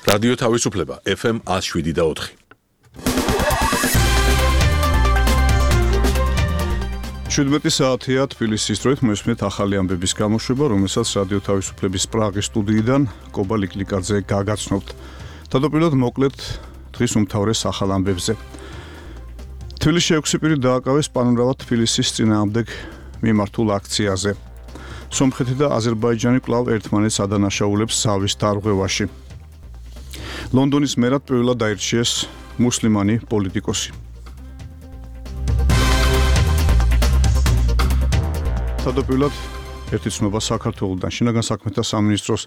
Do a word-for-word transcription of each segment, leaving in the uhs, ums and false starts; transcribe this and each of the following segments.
რადიო თავისუფლება ეფ ემ one oh seven და four. შვიდმეტი საათია თბილისის დროით მოისმენთ ახალი ამბების გამოშვება, რომელსაც რადიო თავისუფლების პრაღის სტუდიიდან კობა ლიკლიკაძე გაგაცნობთ. თავდაპირველად მოკლედ დღის უმთავრეს ახალ ამბებზე. თბილისში ექვსი პირი დააკავეს პანორამა თბილისის წინააღმდეგ მიმართულ აქციაზე. სომხეთი და აზერბაიჯანი კვლავ ერთმანეთს ადანაშაულებს ზავის დარღვევაში. ლონდონის მერად პირველად აირჩიეს მუსლიმანი პოლიტიკოსი. თავდაპირველად ერთი ცნობა საქართველოდან. შინაგან საქმეთა სამინისტროს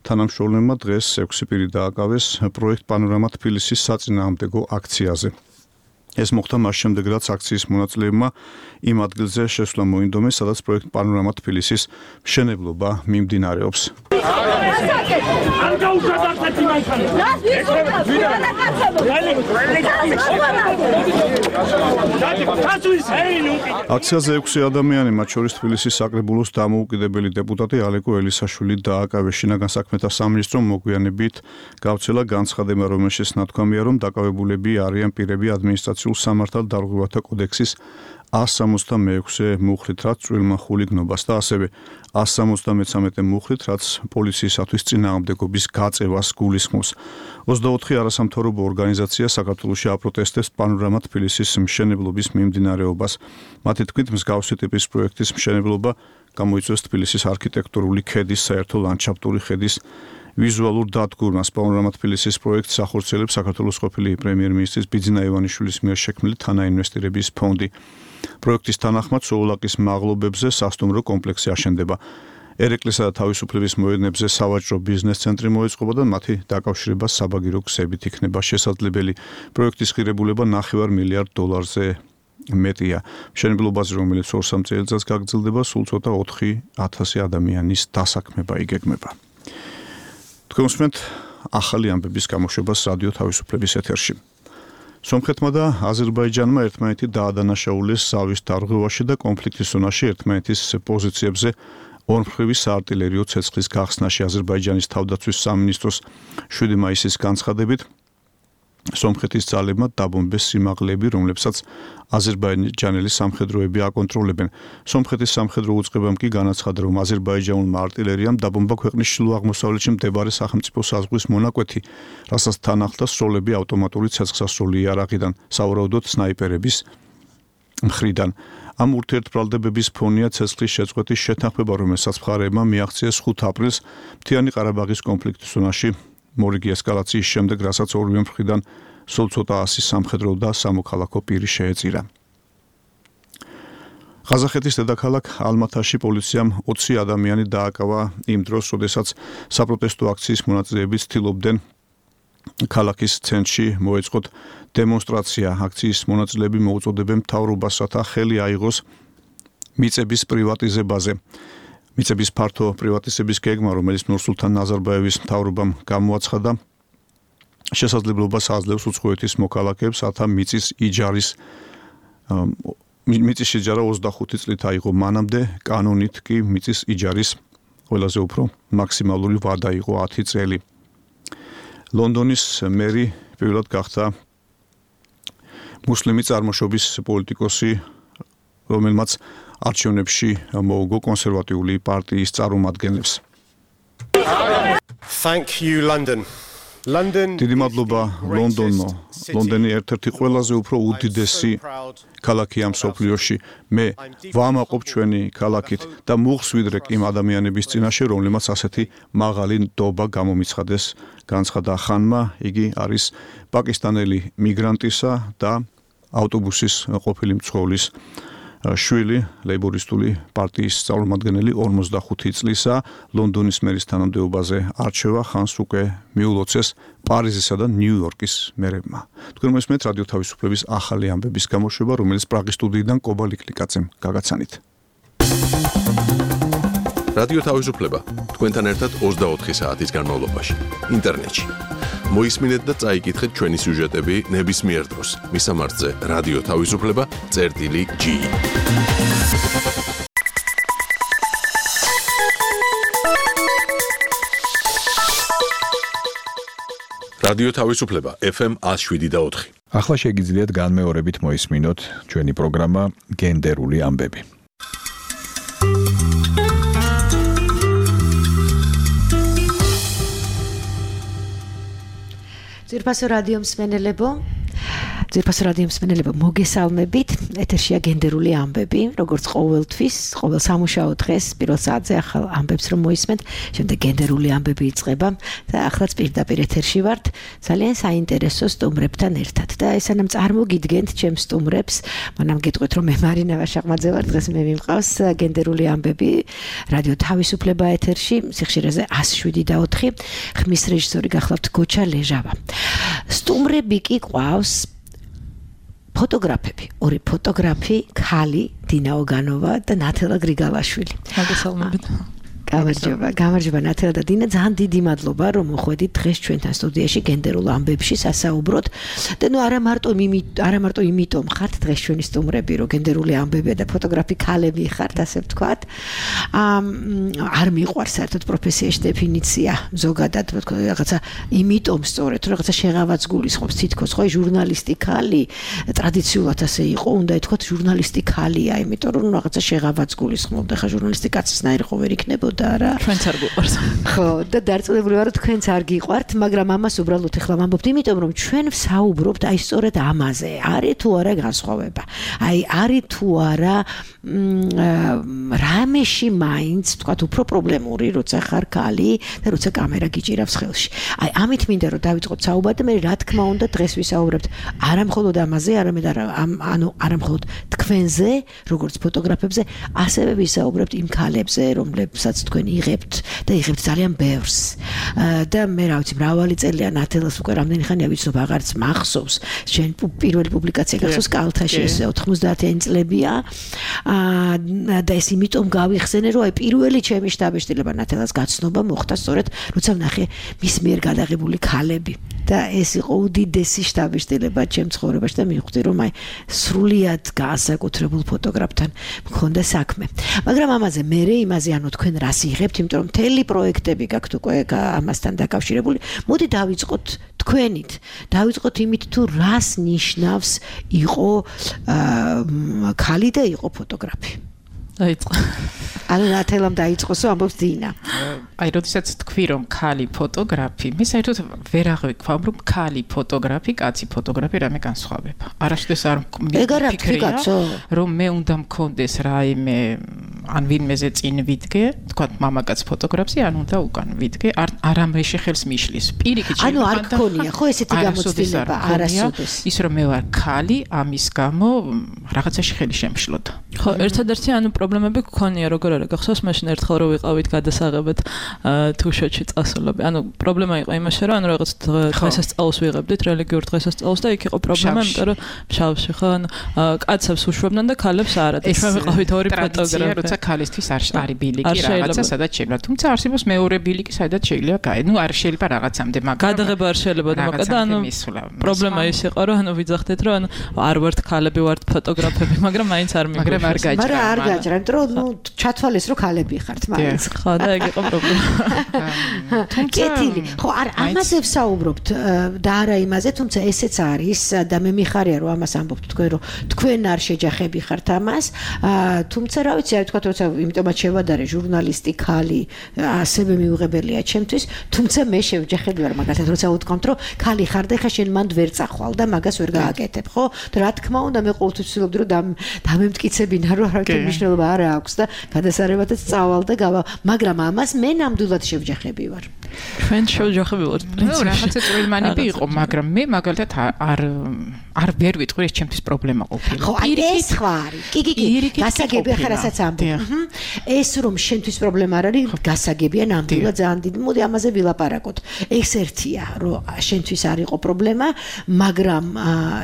თანამშრომლებმა დღეს ექვსი პირი დააკავეს პროექტ პანორამა თბილისის საწინააღმდეგო აქციაზე. ეს მოხდა მას შემდეგ, რაც აქციის მონაწილეებმა იმ ადგილზე შესვლა მოინდომეს, სადაც პროექტ პანორამა თბილისის მშენებლობა მიმდინარეობს. აქციაზე ექვსი ადამიანი, მათ შორის თბილისის საკრებულოს დამოუკიდებელი დეპუტატი ალეკო ელისაშვილი დააკავეს. შინაგან საქმეთა სამინისტრომ მოგვიანებით გავრცელა განცხადება, რომელშიც ნათქვამია, რომ დაკავებულები არიან პირები ადმინისტრაციულ სამართალ დარღვევათა კოდექსის one sixty-six მუხრით, რაც წვრილმა ხულიგნობას და ასევე one seventy-three მუხრით, რაც პოლიციისათვის წინააღმდეგობის გაწევას გულისხმობს. ოცდაოთხი არასამთავრობო ორგანიზაცია საქართველოში აპროტესტებს პანორამა თბილისის მშენებლობის მიმდინარეობას. მათი თქმით, მსგავსი ტიპის პროექტის მშენებლობა გამოიწვევს თბილისის არქიტექტურული ქედის, საერთო ლანდშაფტური ხედის ვიზუალურ დადგურმას. პანორამა თბილისის პროექტს ახორციელებს საქართველოს ყოფილი პრემიერ-მინისტრის ბიძინა ივანიშვილის მიერ შექმნილი თანაინვესტირების ფონდი. პროექტის თანახმად სოულაკის მაღლობებზე სასტუმრო კომპლექსი აშენდება. ერეკლისა და თავისუფლების მოედნებზე სავაჭრო ბიზნეს ცენტრი მოეწყობა და მათი დაკავშირება საბაგირო გზებით იქნება შესაძლებელი. პროექტის ღირებულება ნახევარ მილიარდ დოლარზე მეტია. მშენებლობაზე, რომელიც ორ-სამ წელიწადს გაგრძელდება, სულ ცოტა ოთხი ათასი ადამიანის დასაქმება იგეგმება. თქვენ უსმენთ ახალი ამბების გამოშვებას რადიო თავისუფლების ეთერში. სომხეთმა და აზერბაიჯანმა ერთმანეთი დაადანაშაულეს ზავის დარღვევაში და კონფლიქტის ზონაში ერთმანეთის პოზიციებზე ორმხრივი საარტილერიო ცეცხლის გახსნაში. აზერბაიჯანის თავდაცვის სამინისტროს შვიდი მაისის განცხადებით სომხეთის ძალებმა დაბომბეს სიმაღლეები, რომლებსაც აზერბაიჯანელი სამხედროები აკონტროლებენ. სომხეთის სამხედრო უწყებამ კი განაცხადა, რომ აზერბაიჯანულმა არტილერიამ დაბომბა ქვეყნის ჩრდილო-აღმოსავლეთში მდებარე სახელმწიფო საზღვრის მონაკვეთი, რასაც თან ახლდა სროლები ავტომატური ცეცხლსასროლი იარაღიდან, სავარაუდოდ სნაიპერების მხრიდან. ამ ურთიერთბრალდებების ფონია ცეცხლის შეწყვეტის შეთანხმება, რომელსაც მხარეებმა მიაღწიეს ხუთ აპრილს მთიანი ყარაბაღის კონფლიქტის ზონაში მორიგი ესკალაციის შემდეგ, რასაც ორივე მხრიდან სულ ცოტა ასი სამხედრო და სამოქალაქო პირი შეეწირა. ყაზახეთის დედაქალაქ ალმათაში პოლიციამ ოცი ადამიანი დააკავა იმ დროს, როდესაც საპროტესტო აქციის მონაწილეები ცდილობდნენ ქალაქის ცენტრში მოეწყოთ დემონსტრაცია. აქციის მონაწილეები მოუწოდებენ მთავრობას, რათა ხელი აიღოს მიწების პრივატიზებაზე. მიწების ფართო პრივატიზების გეგმა, რომელიც ნურსულთან ნაზარბაევის მთავრობამ გამოაცხადა, შესაძლებლობას აძლევს უცხოეთის მოქალაქეებს, რათა მიწის იჯარის მიწის იჯარა ოცდახუთი წლით აიღო მანამდე, კანონით კი მიწის იჯარის ყველაზე უფრო მაქსიმალური ვადა იყო ათი წელი. ლონდონის მერი პირველად გახდა მუსლიმი წარმოშობის პოლიტიკოსი, რომელმაც არჩევნებში მოუგო კონსერვატიული პარტიის წარმომადგენლებს. Thank you, London. London. დიდი მადლობა ლონდონო. ლონდონი ერთ-ერთი ყველაზე უფრო უდიდესი ქალაქია მსოფლიოში. მე ვამაყობ ჩვენი ქალაქით და მუხსვიდრეკ იმ ადამიანების წინაშე, რომლებმაც ასეთი მაღალი ნდობა გამომიცხადეს, განცხადა ხანმა. იგი არის პაკისტანელი მიგრანტისა და ავტობუსის ყოფილი მცხოვრის შვილი, ლეიბორისტული პარტიის წარმომადგენელი ორმოცდახუთი წლისა. ლონდონის მერის თანამდებობაზე არჩევა ხანს უკვე მიულოცეს პარიზისა და ნიუ-იორკის მერებმა. თქვენ მოსმენთ რადიო თავისუფლების ახალი ამბების გამოშვება, რომელიც პრაღის სტუდიიდან კობა ლიკლიკაძემ გაგაცანით. რადიო თავისუფლება თქვენთან ერთად ოცდაოთხი საათის განმავლობაში ინტერნეტში. მოისმინეთ და წაიკითხეთ ჩვენი სიუჟეტები ნებისმიერ დროს. მისამართზე რადიო თავისუფლება წერტილი G. რადიო თავისუფლება F M one oh seven და four. ახლა შეგიძლიათ განმეორებით მოისმინოთ ჩვენი პროგრამა გენდერული ამბები. ძვირფასო რადიო მსმენელებო, ძვირფასო რადიო მსმენელებო, მოგესალმებით. ეთერშია გენდერული ამბები, როგორც ყოველთვის, ყოველ სამუშაო დღეს პირველ საათზე ახალ ამბებს რომ მოისმენთ, შემდეგ გენდერული ამბები იწყება და ახლაც პირდაპირ ეთერში ვართ, ძალიან საინტერესო სტუმრებთან ერთად. და ესანამ წარმოგიდგენთ ჩემს სტუმრებს, მანამ გეტყვით რომ მე მარინა ვაშაყმაძე ვარ, დღეს მე მიმყავს გენდერული ამბები რადიო თავისუფლება ეთერში, სიხშირეზე one oh seven და four. ხმის რეჟისორი გახლავთ გოჩა ლეჟავა. სტუმრები კი ყავს ფოტოგრაფები, ორი ფოტოგრაფი, ქალი დინა ოგანოვა და ნათელა გრიგალაშვილი. მოგესალმებით. გამარჯობა, გამარჯობა ნათელა და დინა, ძალიან დიდი მადლობა რომ მოხვედით დღეს ჩვენთან სტუდიაში გენდერულ ამბებში სასაუბროთ. და ნუ არა მარტო არა მარტო იმიტომ ხართ დღეს ჩვენი სტუმრები, რომ გენდერული ამბები და ფოტოგრაფი ქალები ხართ, ასე ვთქვათ. არ მიყვარს საერთოდ პროფესიაში დეფინიცია ზოგადად, რაღაცა იმიტომ სწორედ, რომ რაღაცა შეღავაც გულისხმობს თითქოს, ხო, ჟურნალისტი ქალი ტრადიციულად ასე იყო, უნდა ითქვათ ჟურნალისტი ქალია, იმიტომ რომ რაღაცა შეღავაც გულისხმობდა, ხა ჟურნალისტი კაცისნაირი ხო ვერ იქნებოდა. ჩვენც არ გიყვარს. ხო, და დარწმუნებული ვარ, რომ თქვენც არ გიყვართ, მაგრამ ამას უბრალოდ ეხლა ვამბობთ, იმიტომ რომ ჩვენ ვსაუბრობთ აი სწორედ ამაზე. არის თუ არა განსხვავება. აი არის თუ არა რამეში მაინც, თქვათ, უფრო პრობლემური, როცა ხარ ქალი და როცა კამერა გიჭირავს ხელში. აი ამით მინდა რომ დავიწყოთ საუბარი და მე რა თქმა უნდა დღეს ვისაუბრებთ არა მხოლოდ ამაზე, არამედ ანუ არა მხოლოდ თქვენზე, როგორც ფოტოგრაფებზე, ასევე ვისაუბრებთ იმ ქალებზე, რომლებსაც თქვენ იღებთ და იღებთ ძალიან ბევრს. და მე რა ვიცი, მრავალი წელია ნათელას უკვე რამდენი ხანია ვიცნობ, აღარც მახსოვს. შენ პირველი პუბლიკაცია გახსოვს კალთაში, ეს ოთხმოცდაათიანი წლებია. და ეს იმიტომ გავიხსენე, რომ აი პირველი ჩემი შთაბეჭდილება ნათელას გაცნობა მოხდა სწორედ, როცა ვნახე მის მიერ გადაღებული ქალები. და ეს იყო უდიდესი შთაბეჭდილება ჩემ ცხოვრებაში და მივხვდი, რომ აი სრულიად განსაკუთრებულ ფოტოგრაფთან მქონდა საქმე. მაგრამ ამაზე მერე იმაზე, ანუ თქვენ რას იღებთ, იმიტომ რომ მთელი პროექტები გაქვთ უკვე ამასთან დაკავშირებული. მოდი დავიწყოთ თქვენით. დავიწყოთ იმით, თუ რას ნიშნავს იყო ქალი და იყო ფოტოგრაფი. დაიწყო. ანუ ნათელამ დაიწყოს, ამბობს დინა. აი, როდესაც თქვი რომ ქალი ფოტოგრაფი, მე საერთოდ ვერ აღვიქვამ რომ ქალი ფოტოგრაფი, კაცი ფოტოგრაფი რამე განსხვავება. არასოდეს არ მიფიქრია, რომ მე უნდა მქონდეს რაიმე ან ვინმეზე წინ ვიდგე, თქვა მამაკაც ფოტოგრაფი, ან უნდა უკან ვიდგე, არამე შეხელს მიშლის. პირიქით ანუ არ გქონია, ხო ესეთი გამოცდილება არასოდეს. ის რომ მე ვარ ქალი, ამის გამო რაღაცაში ხელი შემშლოდა. ხო, ერთადერთი ანუ პრობლემები გქონია, როგორ არა გახსოვს, მაშინ ერთხელ რო ვიყავით გადასაღებად თუშეთში წასულები. ანუ პრობლემა იყო იმაში, რომ ანუ რაღაც დღესასწაულს ვიღებდით, რელიგიურ დღესასწაულს და იქ იყო პრობლემა, იმიტომ რომ შავში ხო, ანუ კაცებს უშვებდნენ და ქალებს არა. და ჩვენ ვიყავით ორი ფოტოგრაფი. როცა ქალისთვის არ არის ბილიკი რაღაცა, სადაც შეიძლება. თუმცა არსებობს მეორე ბილიკი, სადაც შეიძლება გაი. ნუ არ შეიძლება რაღაცამდე, მაგრამ გადაღება არ შეიძლება და მოკლედ ანუ პრობლემა ის იყო, რომ ანუ ვიძახდეთ, რომ ანუ არ ვართ ქალები, ვართ ფოტოგრაფები, მაგრამ მაინც არ მიგვიყვარს. მაგრამ არ გაიჭრა. მაგრამ არ გაიჭრა, იმიტომ რომ ნუ ჩათვალეს რომ ქალები ხართ მაინც. ხო, და ეგ იყო პრობლემა. კეთილი. ხო, არ ამაზე ვსაუბრობთ და არა იმაზე, თუმცა ესეც არის და მე მიხარია რომ ამას ამბობთ თქვენ, რომ თქვენ არ შეჯახები ხართ ამას. თუმცა რა ვიცი, არ თქვა, როცა იმიტომაც შევადარე ჟურნალისტი ქალი, ასევე მიუღებელია ჩემთვის, თუმცა მე შევჯახები ვარ მაგალითად, როცა უთქვამთ, რომ ქალი ხარ და ხა შენ მანდ ვერ წახვალ და მაგას ვერ გააკეთებ, ხო? და რა თქმა უნდა, მე ყოველთვის ვცდილობდი რომ დამემტკიცებინა, რომ არავითარ მნიშვნელობა არ აქვს და გადასარევათაც წავალ და გავა, მაგრამ ამას მე ნამდვილად შევჯახები ვარ. ჩვენ შევჯახები ვართ პრინციპში. ნუ რაღაცა წვრილმანები იყო, მაგრამ მე მაგალითად არ არ ვერ ვიტყვი, ეს ჩემთვის პრობლემა ყოფილა. ხო, აი ეს ხო არის. კი, კი, კი. გასაგებია ხარ რასაც ამბობ. ეს რომ შენთვის პრობლემა არ არის, გასაგებია ნამდვილად ძალიან დიდი. მოდი ამაზე ვილაპარაკოთ. ეს ერთია, რომ შენთვის არ იყო პრობლემა, მაგრამ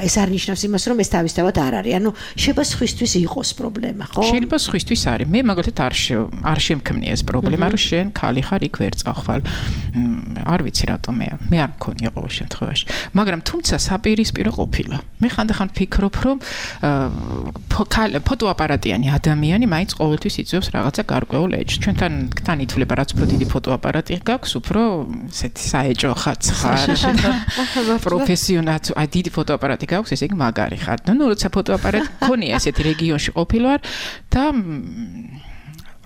ეს არ ნიშნავს იმას, რომ ეს თავისთავად არ არის. ანუ შეიძლება სხვისთვის იყოს პრობლემა, ხო? შეიძლება სხვისთვის არის. მე მაგალითად არ არ შემქმნია ეს პრობლემა, რომ შენ ქალი ხარ, იქ ვერ წახვალ. არ ვიცი რატომ მე მე არ მქონია ყოველ შემთხვევაში. მაგრამ თუმცა საპირისპირო ყოფილა. მე ხანდახან ფიქრობ, რომ ფოტოაპარატიანი ადამიანი მაინც ყოველთვის იწვევს რაღაცა გარკვეულ ეჭვს. ჩვენთან თან ითვლება რაც უფრო დიდი ფოტოაპარატი გაქვს, უფრო ესეთი საეჭვო ხაც ხარ. პროფესიონალ, აი დიდი ფოტოაპარატი გაქვს, ესე იგი მაგარი ხარ. ნუ როცა ფოტოაპარატი მქონია ესეთი რეგიონში ყოფილი ვარ და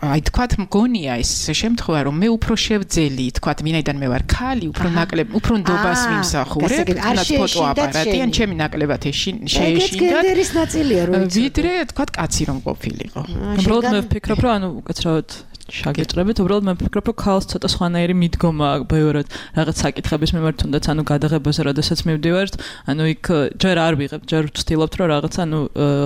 აი თქვათ მგონია ეს შემთხვევა რომ მე უფრო შევძელი თქვათ მინაიდან მე ვარ ქალი უფრო ნაკლებ უფრო ნდობას ვიმსახურებ თუნდაც ფოტოაპარატი ან ჩემი ნაკლებად შეეშინდათ გენდერის ნაწილია რომ ვიდრე თქვათ კაცი რომ ყოფილიყო უბრალოდ მე ვფიქრობ რომ ანუ უკაცრავად შაგეჭრებით უბრალოდ მე ვფიქრობ რომ ქალს ცოტა სხვანაირი მიდგომა აქვს ბევრად რაღაც საკითხების მიმართ თუნდაც ანუ გადაღებაზე როდესაც მივდივართ ანუ იქ ჯერ არ ვიღებ ჯერ ვცდილობთ რომ რაღაც ანუ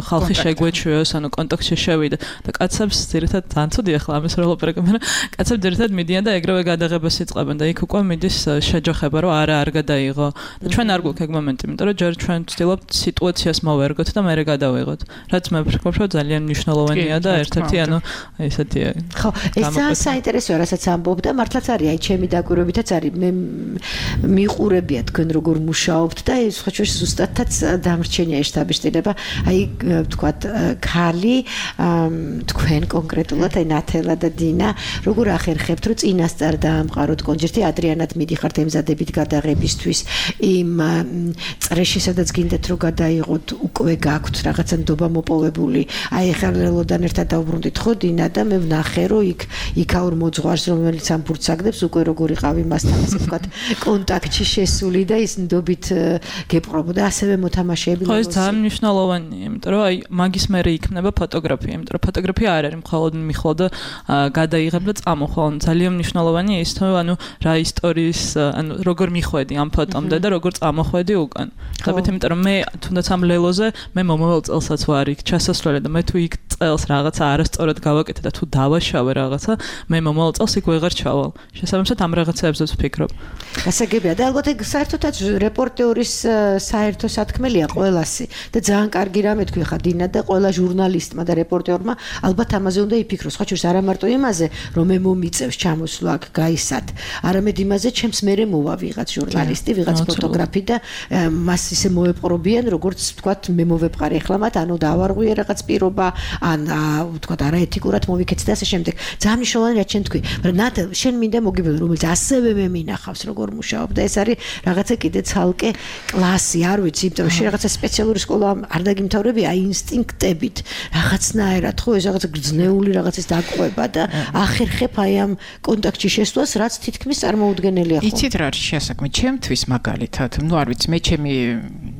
ხალხი შეგვეჩვიოს ანუ კონტაქტში შევიდე და კაცებს ძირითადად ძალიან ცუდი ახლა ამის რო ლაპარაკობ მაგრამ კაცებს ძირითადად მიდიან და ეგრევე გადაღებას იწყებენ და იქ უკვე მიდის შეჯოხება რომ არა არ გადაიღო და ჩვენ არ გვაქვს ეგ მომენტი იმიტომ რომ ჯერ ჩვენ ვცდილობთ სიტუაციას მოვერგოთ და მერე გადავიღოთ რაც მე ვფიქრობ რომ ძალიან მნიშვნელოვანია და ერთ-ერთი ანუ ესეთია ხო ეს ძალიან საინტერესოა, რასაც ამბობ და მართლაც არის, აი ჩემი დაკვირვებითაც არის. მე მიყურებია თქვენ როგორ მუშაობთ და ეს ხო შეიძლება ზუსტადაც დამრჩენია შტაბიშტილება. აი თქვათ ქალი თქვენ კონკრეტულად აი ნათელა და დინა როგორ ახერხებთ რომ წინასწარ დაამყაროთ კონცერტი ადრიანად მიდიხართ ემზადებით გადაღებისთვის იმ წრეში სადაც გინდათ რომ გადაიღოთ უკვე გაქვთ რაღაცა ნდობა მოპოვებული. აი ახლა ლელოდან ერთად დავბრუნდით ხო დინა და მე ვნახე რომ იქ იქაურ მოძღვარს რომელიც ამ ბურთს აგდებს უკვე როგორ იყავი მასთან ასე ვთქვათ კონტაქტში შესული და ის ნდობით გეპყრობოდა ასევე მოთამაშეები ხო ეს ძალიან მნიშვნელოვანია იმიტომ რომ აი მაგის მერე იქნება ფოტოგრაფია იმიტომ რომ ფოტოგრაფია არ არის მხოლოდ მიხვალ და გადაიღებ და წამოხვალ ძალიან მნიშვნელოვანია ის რომ ანუ რა ისტორიის ანუ როგორ მიხვედი ამ ფოტომდე და როგორ წამოხვედი უკან ხաբეთ იმიტომ რომ მე თუნდაც ამ ლელოზე მე მომავალ წელსაც ვარ იქ ჩასასვლელი და მე თუ იქ წელს რაღაცა არასწორად გავაკეთე და თუ დავაშავე რაღაცა მე მომავალ წელს იქ ვეღარ ჩავალ. შესაბამისად ამ რაღაცებზეც ვფიქრობ. გასაგებია და ალბათ ეგ საერთოდაც რეპორტეურის საერთო სათქმელია ყველასი და ძალიან კარგი რამე თქვი ხა დინა და ყველა ჟურნალისტმა და რეპორტერმა ალბათ ამაზე უნდა იფიქროს. ხო შეიძლება არა მარტო იმაზე რომ მე მომიწევს ჩამოსვლა აქ გაისად, არამედ იმაზე ჩემს მერე მოვა ვიღაც ჟურნალისტი, ვიღაც ფოტოგრაფი და მას ისე მოეპყრობიან როგორც ვთქვათ მე მოვეპყარი ახლა მათ ანუ დავარღვიე რაღაც პირობა ან ვთქვათ არაეთიკურად მოვიქეცე და ასე შემდეგ. ძალიან მნიშვნელოვანი რაც შენ თქვი, მაგრამ ნათელ შენ მინდა მოგიბედო რომელიც ასევე მე მინახავს როგორ მუშაობ და ეს არის რაღაცა კიდე ცალკე კლასი, არ ვიცი, იმიტომ რომ შენ რაღაცა სპეციალური სკოლა არ დაგიმთავრები აი ინსტინქტებით, რაღაცნაირად ხო ეს რაღაცა გრძნეული რაღაცის დაკვება და ახერხებ აი ამ კონტაქტში შესვლას, რაც თითქმის წარმოუდგენელია ხო? იცით რა არის შესაქმე, ჩემთვის მაგალითად, ну არ ვიცი, მე ჩემი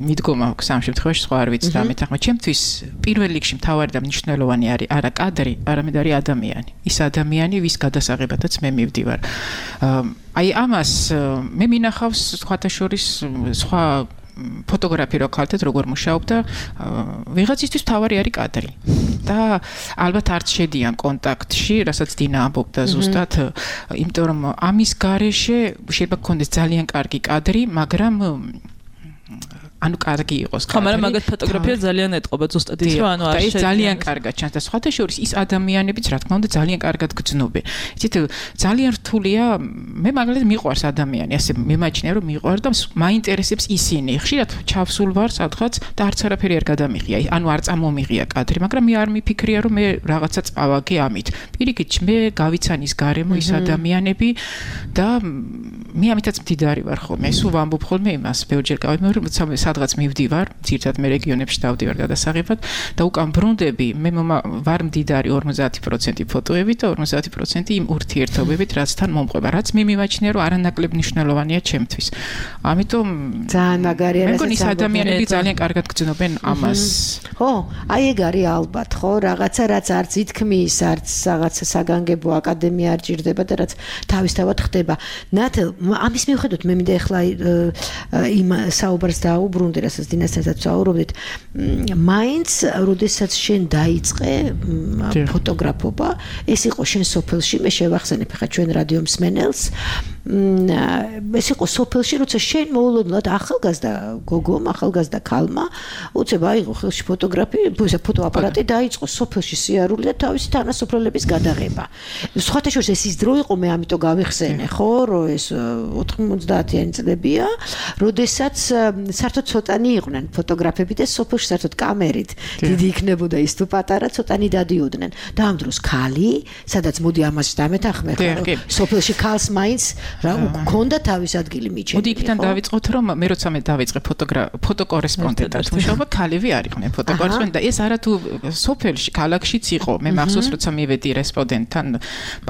მიდგომა აქვს ამ შემთხვევაში სხვა არ ვიცი და მე თახმა, ჩემთვის პირველ რიგში მთავარი და მნიშვნელოვანი არის არა კადრი, არამედ არის ადამიანი. ის ადამიანი, ვის გადასაღებადაც მე მივდივარ. აი ამას მე მინახავს სხვათა შორის სხვა ფოტოგრაფი რო ხალხად როგორ მუშაობ და ვიღაცისთვის თავარი არის კადრი. და ალბათ არც შედიან კონტაქტში, რასაც დინა ამბობდა ზუსტად, იმიტომ რომ ამის გარეშე შეიძლება გქონდეს ძალიან კარგი კადრი, მაგრამ ანუ კარგი იყოს კადრი. ხო, მაგრამ მაგათ ფოტოგრაფია ძალიან ეტყობა ზუსტად ის რომ ანუ არ შეიძლება. ეს ძალიან კარგად ჩანს და სხვათა შორის ის ადამიანებიც რა თქმა უნდა ძალიან კარგად გრძნობენ. იცით, ძალიან რთულია, მე მაგალითად მიყვარს ადამიანი, ასე მემაჩნია რომ მიყვარს და მაინტერესებს ისინი. ხშირად ჩავსულ ვარ სადღაც და არც არაფერი არ გადამიღია. ანუ არ წამომიღია კადრი, მაგრამ მე არ მიფიქრია რომ მე რაღაცა წავაგე ამით. პირიქით, მე გავიცანის გარემო ის ადამიანები და მე ამითაც მდიდარი ვარ ხოლმე. სულ ვამბობ ხოლმე იმას, ბევრჯერ გავიმეორებ სადღაც მივდივარ, ძირთად მე რეგიონებში დავდივარ გადასაღებად და უკან ბრუნდები, მე ვარ მდიდარი ორმოცდაათი პროცენტი ფოტოებით და ორმოცდაათი პროცენტი იმ ურთიერთობებით, რაც თან მომყვება, რაც მე მივაჩნია, რომ არანაკლებ მნიშვნელოვანია ჩემთვის. ამიტომ ძალიან მაგარია, რასაც მეგონი ის ადამიანები ძალიან კარგად გძნობენ ამას. ხო, აი ეგ არის ალბათ, ხო, რაღაცა რაც არც ითქმის, არც რაღაცა საგანგებო აკადემია არ ჭირდება და რაც თავისთავად ხდება. ნათელ, ამის მიუხედავად მე მინდა ახლა იმ საუბარს დაუბრუნდე ბრუნდე რასაც დინასთანაც ვსაუბრობდით მაინც როდესაც შენ დაიწყე ფოტოგრაფობა ეს იყო შენ სოფელში მე შევახსენებ ხა ჩვენ რადიო მსმენელს ეს იყო სოფელში, როცა შენ მოულოდნელად ახალგაზრდა გოგომ, ახალგაზრდა ქალმა უცებ აიღო ხელში ფოტოგრაფი, ფოტოაპარატი დაიწყო სოფელში სიარული და თავისი თანასოფლელების გადაღება. სხვათა შორის ეს ის დრო იყო, მე ამიტომ გავიხსენე, ხო, რომ ეს ოთხმოცდაათიანი წლებია, როდესაც საერთოდ ცოტანი იყვნენ ფოტოგრაფები და სოფელში საერთოდ კამერით დიდი იქნებოდა ის თუ პატარა ცოტანი დადიოდნენ. და ამ დროს ქალი, სადაც მოდი ამას დამეთანხმე, ხო, სოფელში ქალს მაინც რა გქონდა თავის ადგილი მიჩენილი. მოდი იქიდან დავიწყოთ, რომ მე როცა მე დავიწყე ფოტოკორესპონდენტად მუშაობა, ქალები არ იყვნენ ფოტოკორესპონდენტი და ეს არა თუ სოფელში, ქალაქშიც იყო. მე მახსოვს, როცა მივედი რესპონდენტთან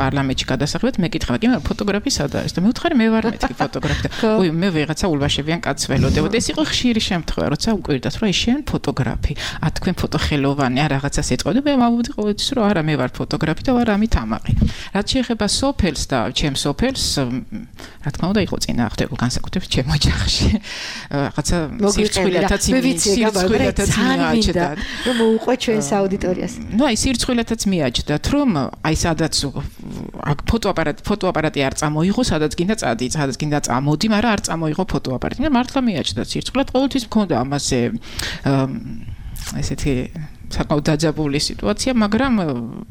პარლამენტში გადასახლებად, მეკითხა, კი, ფოტოგრაფი სადა არის და მე ვთხარი მე ვარ მეთქი ფოტოგრაფი და ой, მე ვიღაცა ულვაშებიან კაცს ველოდებოდა. ეს იყო ხშირი შემთხვევა, როცა უკვირდათ, რომ შენ ფოტოგრაფი, ა თქვენ ფოტოხელოვანი, ა რაღაცას ეტყოდი, მე მოვუდი ყოველთვის, რომ არა, მე ვარ ფოტოგრაფი და ვარ ამით ამაყი. რაც შეეხება სოფელს და ჩემ სოფელს, რა თქმა უნდა, იყო წინააღმდეგო განსაკუთრებით ჩემ ოჯახში. რაღაცა სირცხვილათაც სირცხვილათაც მიაჩნდა, რომ მოუყვე ჩვენს აუდიტორიას. ნუ აი სირცხვილათაც მიაჩნდათ, რომ აი სადაც ფოტოაპარატი ფოტოაპარატი არ წამოიღო, სადაც გინდა წადი, სადაც გინდა წამოდი, მაგრამ არ წამოიღო ფოტოაპარატი. და მართლა მიაჩნდათ სირცხვილად, ყოველთვის მქონდა ამაზე ესეთი საკმაოდ დაძაბული სიტუაცია, მაგრამ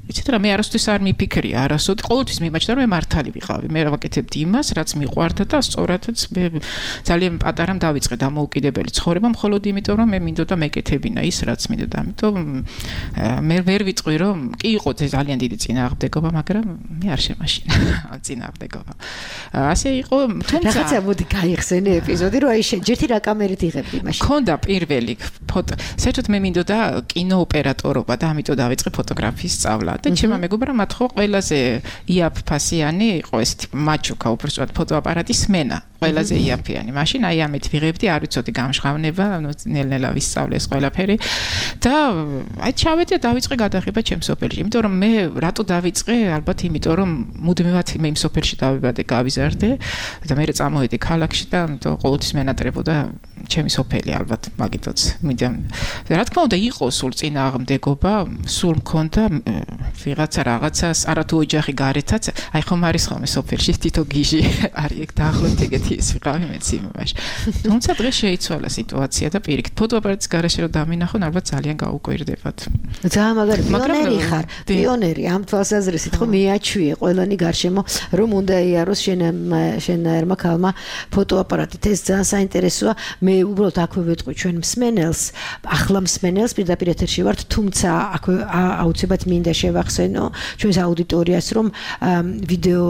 იცით რა, მე არასდროს არ მიფიქრია, არასოდეს ყოველთვის მიმაჩნდა რომ მე მართალი ვიყავი. მე ვაკეთებდი იმას, რაც მიყვარდა და სწორადაც მე ძალიან პატარამ დავიწყე დამოუკიდებელი ცხოვრება, მხოლოდ იმიტომ რომ მე მინდოდა მეკეთებინა ის, რაც მინდოდა. ამიტომ მე ვერ ვიტყვი რომ კი იყო ძალიან დიდი წინააღმდეგობა, მაგრამ მე არ შემაშინა ამ წინააღმდეგობა. ასე იყო, თუმცა რაღაცა მოდი გაიხსენე ეპიზოდი, რომ აი შენ ჯერთი რა კამერით იღებდი მაშინ. მქონდა პირველი ფოტო. საერთოდ მე მინდოდა კინო ოპერატორობა და ამიტომ დავიწყე ფოტოგრაფიის სწავლა და ჩემმა მეგობრებმა მათ ხო ყველაზე იაფფასიანი იყო ესეთი მაჩუკა უბრალოდ ფოტოაპარატის სმენა ყველაზე იაფიანი. მაშინ აი ამით ვიღებდი, არ ვიცოდი გამშღავნება, ანუ ნელ-ნელა ვისწავლე ეს ყველაფერი და აი ჩავედი და დავიწყე გადაღება ჩემ სოფელში. იმიტომ რომ მე რატო დავიწყე? ალბათ იმიტომ რომ მუდმივად მე იმ სოფელში დავიბადე, გავიზარდე და მე წამოვედი ქალაქში და ამიტომ ყოველთვის მენატრებოდა ჩემი სოფელი ალბათ მაგითაც. რა თქმა უნდა იყო სულ წინააღმდეგობა, სულ მქონდა ვიღაცა რაღაცას, არათუ ოჯახი გარეთაც, აი ხომ არის ხოლმე სოფელში თითო გიჟი არის ეგ დაახლოებით ეგეთი ის ვიყავი მეც იმაში. თუმცა დღეს შეიცვალა სიტუაცია და პირიქით ფოტოაპარატის გარეშე რომ დამინახონ, ალბათ ძალიან გაუკვირდებათ. ძალიან მაგარი პიონერი ხარ, პიონერი ამ თვალსაზრისით ხო მიაჩვიე ყველანი გარშემო რომ უნდა იაროს შენ შენ ერმა ქალმა ფოტოაპარატით. ეს ძალიან საინტერესოა. მე უბრალოდ აქვე ვეტყვი ჩვენ მსმენელს, ახლა მსმენელს პირდაპირ ეთერში ვართ, თუმცა აქვე აუცილებლად მინდა შევახსენო ჩვენს აუდიტორიას, რომ ვიდეო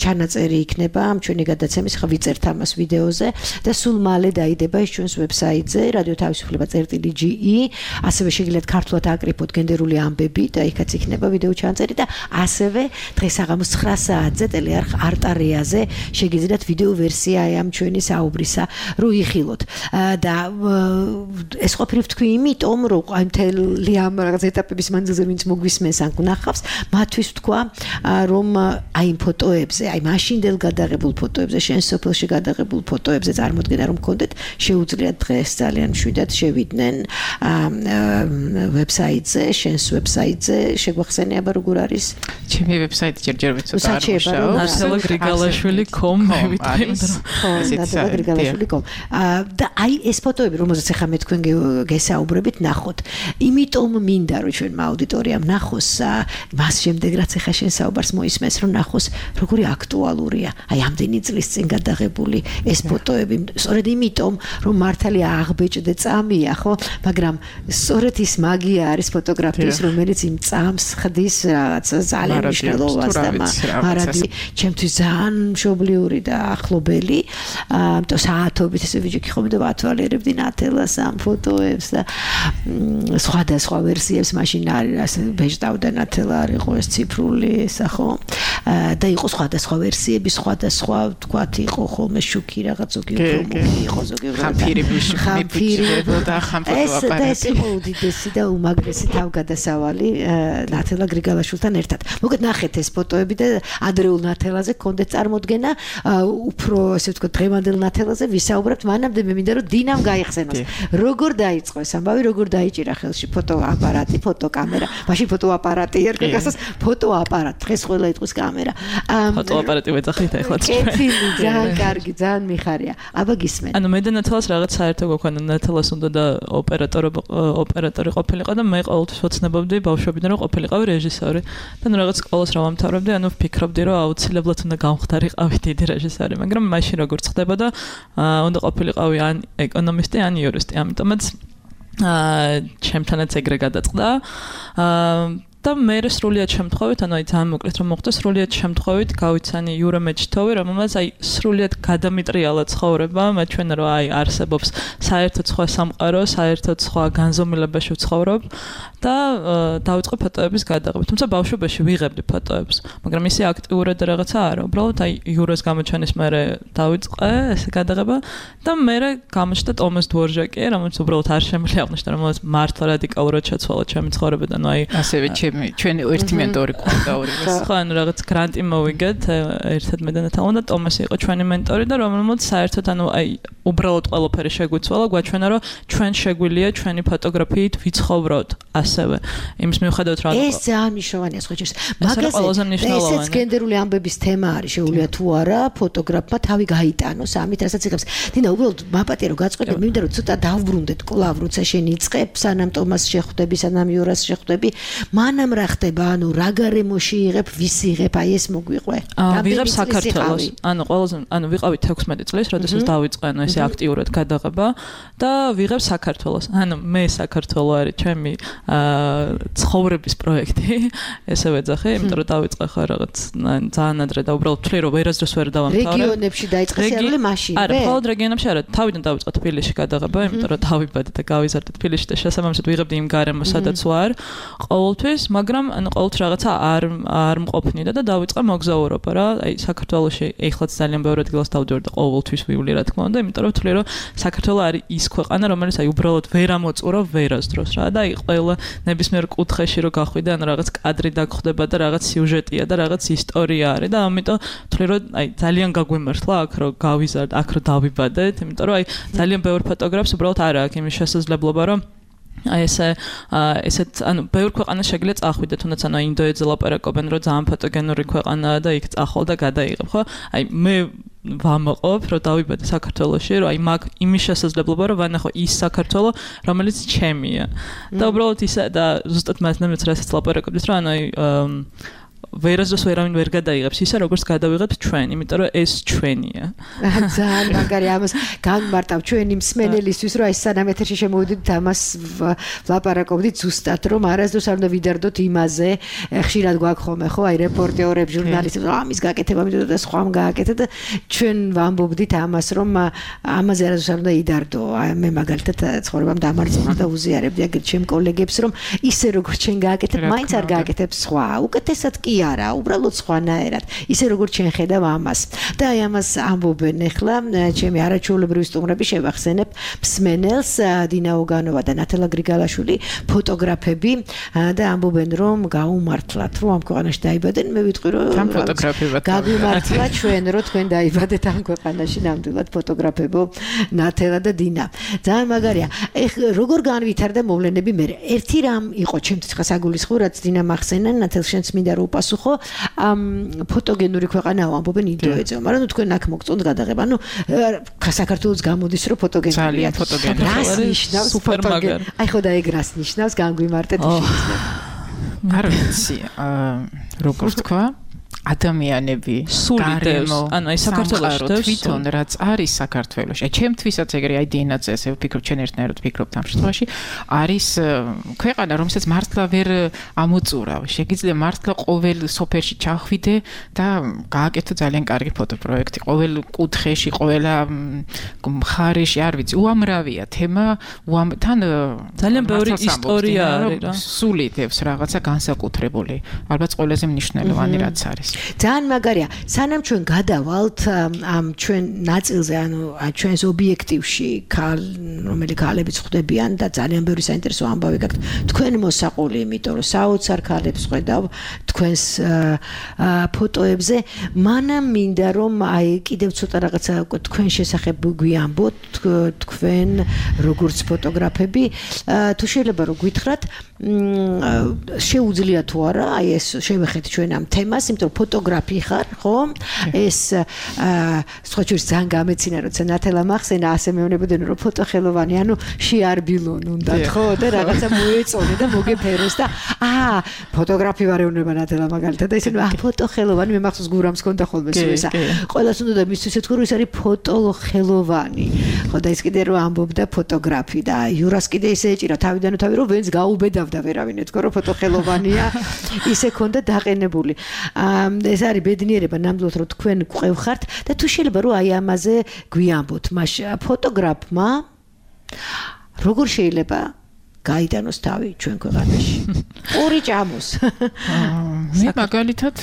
ჩანაწერი იქნება ამ ჩვენი გადაცემის, ხა ვიწერთ ამას ვიდეოზე და სულ მალე დაიდება ის ჩვენს ვებსაიტზე რადიო თავისუფლება წერტილი ჯი ი, ასევე შეგიძლიათ ქართულად აკრიფოთ გენდერული ამბები და იქაც იქნება ვიდეო ჩანაწერი და ასევე დღეს საღამოს ცხრა საათზე ტელეარხ არტარიაზე შეგიძლიათ ვიდეო ვერსია ამ ჩვენი საუბრისა რო იხილოთ და ეს ყოფილი ვთქვი იმიტომ რომ აი მთელი ამ რაღაც ეტაპების მანძილზე ვინც მოგვისმენს ან გნახავს, მათთვის ვთქვა რომ აი იმ ფოტოებზე, აი მაშინდელ გადაღებულ ფოტოებზე, შენ სოფელში გადაღებულ ფოტოებზე წარმოდგენა რომ გქონდეთ, შეუძლიათ დღეს ძალიან მშვიდად შევიდნენ ვებსაიტზე, შენს ვებსაიტზე, შეგვახსენე აბა როგორ არის? ჩემი ვებსაიტი ჯერჯერობით ცოტა არ მუშაობს. ნატალა გრიგალაშვილი კომ მე ვიტყვი. ნატალა გრიგალაშვილი კომ. და აი ეს ფოტოები, რომელზეც ახლა მე თქვენ გესაუბრებით, ნახოთ. იმიტომ მინდა რომ ჩვენ აუდიტორიამ ნახოს მას შემდეგ რაც ახლა შენ საუბარს მოისმენს, რომ ნახოს როგორი აქტუალურია. აი ამდენი წლის წინ გადაღებული ეს ფოტოები, სწორედ იმიტომ რომ მართალი აღბეჭდე წამია, ხო? მაგრამ სწორედ ის მაგია არის ფოტოგრაფიის, რომელიც იმ წამს ხდის რაღაც ძალიან მნიშვნელოვანს და მარადი ჩემთვის ძალიან მშობლიური და ახლობელი. ამიტომ საათობით ესე ვიჯექი ხომ და ვათვალიერებდი ნათელას ამ ფოტოებს და სხვადასხვა ვერსიებს მაშინ არის ბეჭდავდა ნათელა არ იყო ეს ციფრული ისა ხო და იყო სხვადასხვა ვერსიები, სხვადასხვა თქვათ იყო იყო ხოლმე შუქი რაღაც ზოგი უფრო მოდი იყო ზოგი უფრო ხამფირი მიფიჭებოდა და ხამ ფოტოაპარატი ეს ეს უდიდესი და უმაგრესი თავგადასავალი ნათელა გრიგალაშვილთან ერთად. მოგეთ ნახეთ ეს ფოტოები და ადრეულ ნათელაზე გქონდეთ წარმოდგენა უფრო ასე ვთქვათ დღევანდელ ნათელაზე ვისაუბრებთ მანამდე მე მინდა რომ დინამ გაიხსენოს. როგორ დაიწყო ეს ამბავი, როგორ დაიჭირა ხელში ფოტოაპარატი, ფოტოკამერა, მაშინ ფოტოაპარატი ერქვა გასას ფოტოაპარატი, დღეს ყველა იტყვის კამერა. ფოტოაპარატი ვეძახით ახლა. კეთილი, ძალიან კარგი, ძალიან მიხარია. აბა გისმენ. ანუ მე და ნათელას რაღაც საერთო გვაქვს, ნათელას უნდა და ოპერატორი ოპერატორი ყოფილიყო და მე ყოველთვის ვოცნებობდი ბავშვობიდან რომ ყოფილიყავი რეჟისორი. და ნუ რაღაც სკოლას რა ვამთავრებდი, ანუ ვფიქრობდი რომ აუცილებლად უნდა გამხდარიყავი დიდი რეჟისორი, მაგრამ მაშინ როგორ ხდებოდა, უნდა ყოფილიყავი ან ეკონომისტი, ან იურისტი, ამიტომაც აა ჩემთანაც ეგრე გადაწყდა. აა და მე სრულიად შემთხვევით, ანუ აი ძალიან მოკლედ რომ მოხდა, სრულიად შემთხვევით გავიცანი იურა მეჩითოვი, რომელმაც აი სრულიად გადამიტრიალა ცხოვრება, მე ჩვენ რომ აი არსებობს საერთოდ სხვა სამყარო, საერთოდ სხვა განზომილებაში ვცხოვრობ და დავიწყე ფოტოების გადაღება. თუმცა ბავშვობაში ვიღებდი ფოტოებს, მაგრამ ისე აქტიურად რაღაცა არა, უბრალოდ აი იურას გამოჩენის მერე დავიწყე ეს გადაღება და მერე გამოჩნდა ტომას დვორჟაკი, რომელიც უბრალოდ არ შემიძლია აღნიშნო, რომელიც მართლა რადიკალურად შეცვალა ჩემი ცხოვრებიდან, ანუ აი ასევე ჩვენი ერთი მენტორი ყავდა ორივე. ხო, ანუ რაღაც გრანტი მოვიგეთ ერთად მე და ნათალა და ტომასი იყო ჩვენი მენტორი და რომელმაც საერთოდ ანუ აი უბრალოდ ყველაფერი შეგვიცვალა, გვაჩვენა რომ ჩვენ შეგვიძლია ჩვენი ფოტოგრაფიით ვიცხოვროთ ასევე. იმის მიუხედავად რომ ეს ძალიან მნიშვნელოვანია სხვა ჯერს. მაგაზე ესეც გენდერული ამბების თემა არის, შეუძლია თუ არა ფოტოგრაფმა თავი გაიტანოს ამით, რასაც იღებს. დინა, უბრალოდ მაპატია რომ გაწყობდი, მინდა რომ ცოტა დავბრუნდეთ კლავ, როცა შენ იწყებ, სანამ ტომას შეხვდები, სანამ იურას შეხვდები, მანამ რა ხდება, ანუ რა გარემოში იღებ, ვის იღებ, აი ეს მოგვიყვე. ვიღებ საქართველოს. ანუ ყველაზე ანუ ვიყავით ექვსმეტი წლის, როდესაც დავიწყე ანუ ესე აქტიურად გადაღება და ვიღებ საქართველოს. ანუ მე საქართველო არის ჩემი ცხოვრების პროექტი, ესე ვეძახე, იმიტომ რომ დავიწყე ხარ რაღაც ძალიან ადრე და უბრალოდ თვლი რომ ვერასდროს ვერ დავამთავრე. რეგიონებში დაიწყე სერიალი მაშინ. არა, მხოლოდ რეგიონებში არა, თავიდან დავიწყე თბილისში გადაღება, იმიტომ რომ დავიბადე და გავიზარდე თბილისში და შესაბამისად ვიღებდი იმ გარემოს, სადაც ვარ ყოველთვის, მაგრამ ანუ ყოველთვის რაღაცა არ არ მყოფნიდა და დავიწყე მოგზაურობა რა. აი საქართველოში ეხლაც ძალიან ბევრი ადგილას დავდივარ და ყოველთვის ვივლი რა თქმა უნდა, იმიტომ რომ ვთვლი რომ საქართველო არის ის ქვეყანა, რომელიც აი უბრალოდ ვერ ამოწურო ვერასდროს რა და აი ყველა ნებისმიერ კუთხეში რო გახვიდე, ანუ რაღაც კადრი დაგხვდება და რაღაც სიუჟეტია და რაღაც ისტორია არის და ამიტომ ვთვლი რომ აი ძალიან გაგვიმართლა აქ რო გავიზარდე, აქ რო დავიბადეთ, იმიტომ რომ აი ძალიან ბევრი ფოტოგრაფს უბრალოდ არ აქვს იმის შესაძლებლობა რომ აი ესე ესეთ ანუ ბევრ ქვეყანას შეგიძლია წახვიდე, თუნდაც ანუ ინდოეთზე ლაპარაკობენ რომ ძალიან ფოტოგენური ქვეყანაა და იქ წახვალ და გადაიღებ, ხო? აი მე ვამაყობ რომ დავიბადე საქართველოში, რომ აი მაგ იმის შესაძლებლობა რომ ვანახო ის საქართველო, რომელიც ჩემია. და უბრალოდ ისა და ზუსტად მასნამაც რასაც ლაპარაკობთ რომ ანუ აი ვერასდროს ვერავინ ვერ გადაიღებს ისე როგორც გადავიღებთ ჩვენ, იმიტომ რომ ეს ჩვენია. ძალიან მაგარი ამას განმარტავ ჩვენი მსმენელისთვის, რომ აი სანამ ეთერში შემოვიდით ამას ვლაპარაკობდით ზუსტად, რომ არასდროს არ უნდა ვიდარდოთ იმაზე, ხშირად გვაქვს ხოლმე ხო, აი რეპორტერები, ჟურნალისტები, რომ ამის გაკეთება მინდოდა და სხვამ გააკეთე და ჩვენ ვამბობდით ამას, რომ ამაზე არასდროს არ უნდა იდარდო. აი მე მაგალითად ცხოვრებამ დამარცხნა და უზიარებდი აგერ ჩემ კოლეგებს, რომ ისე როგორც ჩვენ გააკეთებ, მაინც არ გააკეთებს სხვა. უკეთესად კი არა, უბრალოდ სხვანაირად. ისე როგორც ჩვენ ხედავ ამას. და აი ამას ამბობენ ახლა ჩემი არაჩვეულებრივი სტუმრები შევახსენებ მსმენელს დინა ოგანოვა და ნათელა გრიგალაშვილი, ფოტოგრაფები და ამბობენ რომ გაუმართლათ, რომ ამ ქვეყანაში დაიბადენ, მე ვიტყვი რომ გაგვიმართლა ჩვენ რომ თქვენ დაიბადეთ ამ ქვეყანაში, ნამდვილად ფოტოგრაფებო ნათელა და დინა. ძალიან მაგარია. ეხ როგორ განვითარდა მოვლენები მე? ერთი რამ იყო ჩემთვის ხა საგულისხმო, რაც დინა მახსენა, ნათელ შენც მინდა რომ უპასუხო, ამ ფოტოგენური ქვეყანაა ამბობენ ინდოეთზე, მაგრამ ნუ თქვენ აქ მოგწონთ გადაღება, ნუ საქართველოს გამოდის რომ ფოტოგენურია. ძალიან ფოტოგენური. რას ნიშნავს ფოტოგენური? აი ხო და ეგ რას ნიშნავს? განგვიმარტეთ შეიძლება. არ ვიცი, როგორ თქვა? ადამიანები გარემო, ანუ აი საქართველოში თვითონ რაც არის საქართველოში. აი ჩემთვისაც ეგრე აი დინაც ესე ვფიქრობ, ჩვენ ერთნაირად ვფიქრობთ ამ შემთხვევაში, არის ქვეყანა, რომელსაც მართლა ვერ ამოწურავ. შეგიძლია მართლა ყოველ სოფელში ჩახვიდე და გააკეთო ძალიან კარგი ფოტოპროექტი. ყოველ კუთხეში, ყოველ მხარეში, არ ვიცი, უამრავია თემა, თან ძალიან ბევრი ისტორია არის რა. სულით ევს რაღაცა განსაკუთრებული. ალბათ ყველაზე მნიშვნელოვანი რაც არის. ძალიან მაგარია. სანამ ჩვენ გადავალთ ამ ჩვენ ნაწილზე, ანუ ჩვენს ობიექტივში, რომელი ქალებიც ხვდებიან და ძალიან ბევრი საინტერესო ამბავი გაქვთ. თქვენ მოსაყოლი, იმიტომ რომ საოცარ ქალებს ხედავ თქვენს ფოტოებზე, მანამ მინდა რომ აი კიდევ ცოტა რაღაცა თქვენ შესახებ გვიამბოთ, თქვენ როგორც ფოტოგრაფები, თუ შეიძლება რომ გითხრათ, შეუძლია თუ არა, აი ეს შევეხეთ ჩვენ ამ თემას, იმიტომ რომ ფოტოგრაფი ხარ, ხო? ეს სხვა შორის ძალიან გამეცინა, როცა ნათელა მახსენა, ასე მეუბნებოდნენ რომ ფოტოხელოვანი, ანუ შეარბილონ უნდა, ხო? და რაღაცა მოეწონე და მოგეფეროს და აა, ფოტოგრაფი ვარ ეუბნება ნათელა მაგალითად და ისინი აა ფოტოხელოვანი, მე მახსოვს გურამს ქონდა ხოლმე სულისა. ყველას უნდა და მისთვის ეთქო რომ ის არის ფოტოხელოვანი. ხო და ის კიდე რომ ამბობდა ფოტოგრაფი და იურას კიდე ისე ეჭირა თავიდან თავი რომ ვენც გაუბედავდა ვერავინ ეთქო რომ ფოტოხელოვანია. ისე ქონდა დაყენებული. ეს არის ბედნიერება ნამდვილად რომ თქვენ გვყევხართ და თუ შეიძლება რომ აი ამაზე გვიამბოთ. მას ფოტოგრაფმა როგორ შეიძლება გაიტანოს თავი ჩვენ ქვეყანაში? ორი ჭამოს. მე მაგალითად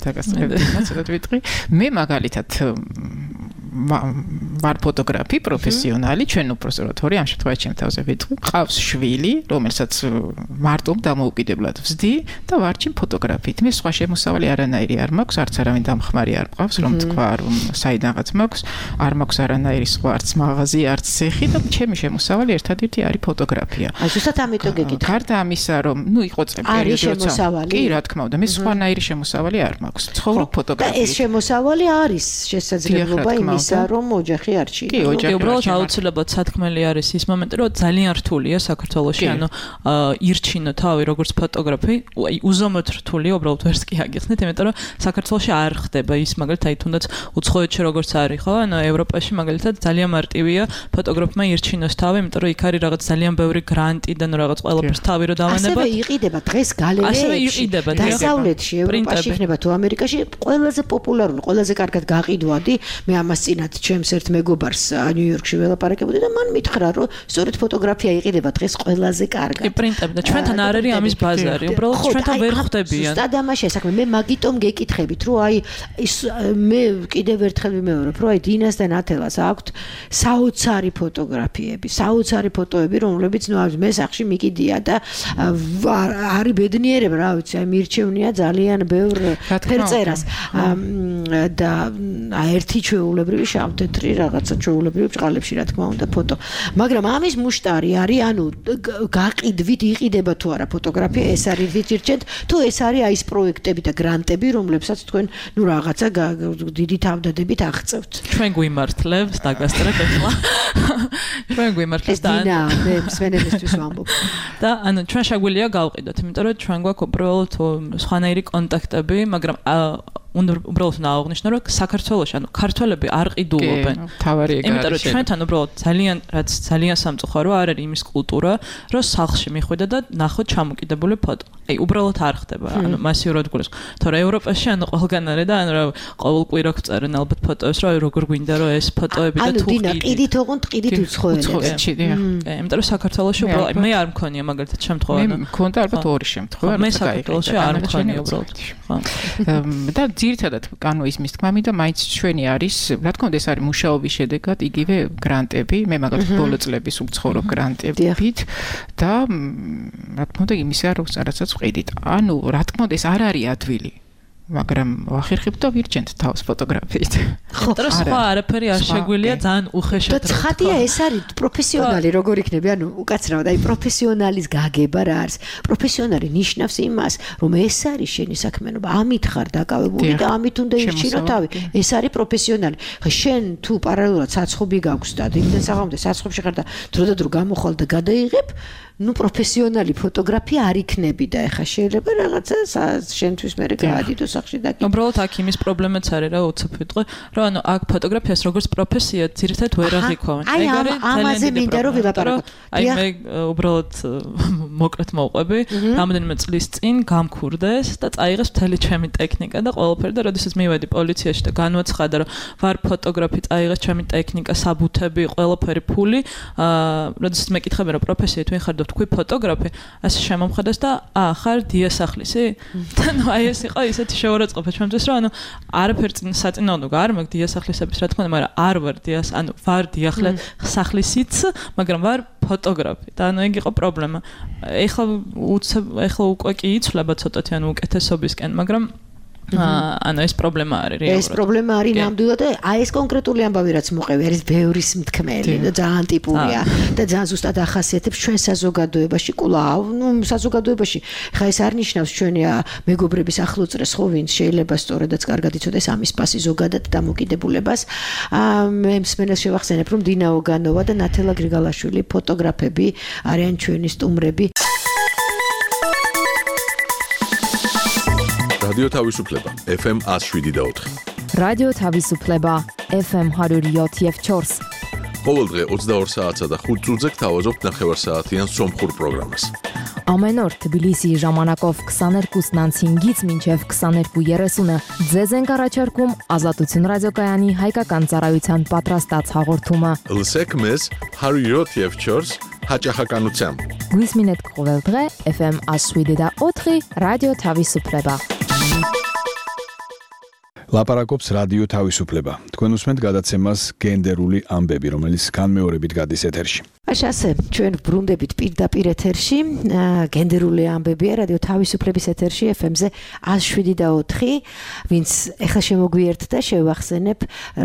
დაგასწრებდი, ცოტა ვიტყვი. მე მაგალითად ვარ ფოტოგრაფი პროფესიონალი, ჩვენ უბრალოდ თორე ამ შემთხვევაში ჩემ თავზე ვიტყვი. მყავს შვილი, რომელსაც მარტო დამოუკიდებლად ვზდი და ვარჩი ფოტოგრაფით. მე სხვა შემოსავალი არანაირი არ მაქვს, არც არავინ დამხმარი არ მყავს, რომ თქვა, რომ საიდანღაც მაქვს, არ მაქვს არანაირი სხვა არც მაღაზია, არც ცეხი და ჩემი შემოსავალი ერთადერთი არის ფოტოგრაფია. აი, ზუსტად ამიტომ გეკითხა. გარდა ამისა, რომ ნუ იყო პერიოდი, როცა კი, რა თქმა უნდა, მე სხვანაირი შემოსავალი არ მაქვს. ცხოვრობ ფოტოგრაფიით. და ეს შემოსავალი არის შესაძლებლობა იმის რომ ოჯახი არ ჩიიდო. კი, ოჯახი უბრალოდ აუცილებლად სათქმელი არის ის მომენტი, რომ ძალიან რთულია საქართველოში, ანუ ირჩინო თავი როგორც ფოტოგრაფი, აი უზომოდ რთულია, უბრალოდ ვერც კი აგიხსნით, იმიტომ რომ საქართველოში არ ხდება ის, მაგალითად, აი თუნდაც უცხოეთში როგორც არის, ხო? ანუ ევროპაში მაგალითად ძალიან მარტივია ფოტოგრაფმა ირჩინოს თავი, იმიტომ რომ იქ არის რაღაც ძალიან ბევრი გრანტი და ნუ რაღაც ყველაფერს თავი რო დავანებოთ. ასევე იყიდება დღეს გალერეებში. ასევე იყიდება დასავლეთში, ევროპაში იქნება თუ ამერიკაში ყველაზე პოპულარული, ყველაზე კარგად გაყიდვადი, მე ამას წინათ ჩემს ერთ მეგობარს ნიუ-იორკში ველაპარაკებოდი და მან მითხრა რომ სწორედ ფოტოგრაფია იყიდება დღეს ყველაზე კარგად. კი, პრინტები და ჩვენთან არ არის ამის ბაზარი, უბრალოდ ჩვენთან ვერ ხვდებიან. ზუსტად ამაშია საქმე. მე მაგიტომ გეკითხებით, რომ აი ის მე კიდევ ერთხელ ვიმეორებ, რომ აი დინას და ნათელას აქვთ საოცარი ფოტოგრაფიები, საოცარი ფოტოები, რომლებიც ნუ მე სახში მიკიდია და არის ბედნიერება, რა ვიცი, აი მირჩევნია ძალიან ბევრ ფერწერას და აი ერთი ჩვეულებრივი შავ-თეთრი რაღაცა ჩვეულებრივი ბრწყალებში რა თქმა უნდა ფოტო. მაგრამ ამის მუშტარი არის, ანუ გაყიდვით იყიდება თუ არა ფოტოგრაფია, ეს არის ვიჭირჩენთ, თუ ეს არის აი ეს პროექტები და გრანტები, რომლებსაც თქვენ ნუ რაღაცა დიდი თავდადებით აღწევთ. ჩვენ გვიმართლებს დაგასწრებ ახლა. ჩვენ გვიმართლებს და დინა, მე მსმენელისთვის ვამბობ. და ანუ ჩვენ შეგვიძლია გავყიდოთ, იმიტომ რომ ჩვენ გვაქვს უბრალოდ სხვანაირი კონტაქტები, მაგრამ უნდა უბრალოდ ნააღნიშნო, რომ საქართველოში, ანუ ქართველები არ ყიდულობენ. თავარი ეგ არის. იმიტომ რომ ჩვენთან უბრალოდ ძალიან რაც ძალიან სამწუხარო არ არის იმის კულტურა, რომ სახლში მიხვიდა და ნახოთ ჩამოკიდებული ფოტო. აი, უბრალოდ არ ხდება. ანუ მასიურად გულს. თორე ევროპაში ანუ ყველგან არის და ანუ რა ყოველ კვირა გწერენ ალბათ ფოტოებს, რომ როგორ გვინდა რომ ეს ფოტოები და თუ ყიდით. ანუ დინა, ყიდით ოღონდ ყიდით უცხოელებს. უცხოეთში, დიახ. კი, იმიტომ რომ საქართველოში უბრალოდ მე არ მქონია მაგალითად შემთხვევა. მე მქონდა ალბათ ორი შემთხვევა. მე საქართველოში არ მქონია უბრალოდ. ხო. და ძირითადად ანუ ის მის თქმამი და მაინც ჩვენი არის, რა თქმა უნდა ეს არის მუშაობის შედეგად იგივე გრანტები, მე მაგალითად ბოლო წლების უცხოურ გრანტებით და რა თქმა უნდა იმისა რომ რაღაცას ვყიდით. ანუ რა თქმა უნდა ეს არ არის ადვილი. მაგრამ ვახერხებთ და ვირჩენთ თავს ფოტოგრაფიით. ხო, და სხვა არაფერი არ შეგვიძლია ძალიან უხეშად. და ცხადია ეს არის პროფესიონალი როგორ იქნება, ანუ უკაცრავად, აი პროფესიონალის გაგება რა არის. პროფესიონალი ნიშნავს იმას, რომ ეს არის შენი საქმიანობა, ამით ხარ დაკავებული და ამით უნდა ირჩინო თავი. ეს არის პროფესიონალი. ხა შენ თუ პარალელურად საცხობი გაქვს და იმდენ საღამომდე საცხობში ხარ და დრო და დრო გამოხვალ და გადაიღებ, ну профессионალი ფოტოგრაფი არ იქნები და ეხა შეიძლება რაღაცა შენთვის მე გაადიდო სახში და უბრალოდ აქ იმის პრობლემაც არის რა უცებ ვიტყვი რომ ანუ აქ ფოტოგრაფიას როგორც პროფესია ძირითადად ვერ აღიქვამენ ეგ არის ამაზე მინდა რომ ვილაპარაკოთ აი მე უბრალოდ მოკლედ მოვყვები რამდენიმე წლის წინ გამქურდეს და წაიღეს მთელი ჩემი ტექნიკა და ყველაფერი და როდესაც მივედი პოლიციაში და განვაცხადა რომ ვარ ფოტოგრაფი წაიღეს ჩემი ტექნიკა საბუთები ყველაფერი ფული აა როდესაც მეკითხები რომ პროფესიით ვინ ხარ თქვი ფოტოგრაფი, ასე შემომხედეს და აა ხარ დიასახლისი? და ნუ აი ეს იყო ისეთი შეურაცხყოფა ჩემთვის, რომ ანუ არაფერ საწინააღმდეგო არ მაქვს დიასახლისების, რა თქმა უნდა, მაგრამ არ ვარ დიას, ანუ ვარ დიასახლისიც, მაგრამ ვარ ფოტოგრაფი. და ანუ ეგ იყო პრობლემა. ეხლა ეხლა უკვე კი იცვლება ცოტათი ანუ უკეთესობისკენ, მაგრამ ანუ ეს პრობლემა არის რეალურად. ეს პრობლემა არის ნამდვილად და აი ეს კონკრეტული ამბავი რაც მოყევი არის ბევრის მთქმელი და ძალიან ტიპურია და ძალიან ზუსტად ახასიათებს ჩვენ საზოგადოებაში კვლავ, ნუ საზოგადოებაში ხა ეს არ ნიშნავს ჩვენი მეგობრების ახლოწრეს ხო ვინც შეიძლება სწორედაც კარგად იცოდეს ამის პასი ზოგადად დამოკიდებულებას. მე მსმენელს შევახსენებ რომ დინა ოგანოვა და ნათელა გრიგალაშვილი ფოტოგრაფები არიან ჩვენი სტუმრები. რადიო თავისუფლება ეფ ემ one oh seven point four. რადიო თავისუფლება ეფ ემ one oh seven point four. ყოველდღე ოცდაორ საათსა და ხუთ წუთზე გთავაზობთ ნახევარსაათიან სომხურ პროგრამას. Ամեն օր Թբիլիսի ժամանակով twenty-two-ից մինչև twenty-two thirty-ը ձեզ ենք առաջարկում Ազատություն ռադիոկայանի հայկական ծառայության պատրաստած հաղորդումը։ Լսեք մեզ one oh seven point four հաճախականությամբ։ Գույսմինետ կողելդղե էֆ էմ one oh seven point four ռադիո თავისუფლება։ ლაპარაკობს რადიო თავისუფლება. თქვენ უსმენთ გადაცემას გენდერული ამბები, რომელიც განმეორებით გადის ეთერში. ასე, ჩვენ ბრუნდებით პირდაპირ ეთერში, გენდერული ამბებია რადიო თავისუფლების ეთერში ეფ ემ-ზე one oh seven point four, ვინც ეხლა შემოგვიერთდა, შევახსენებ,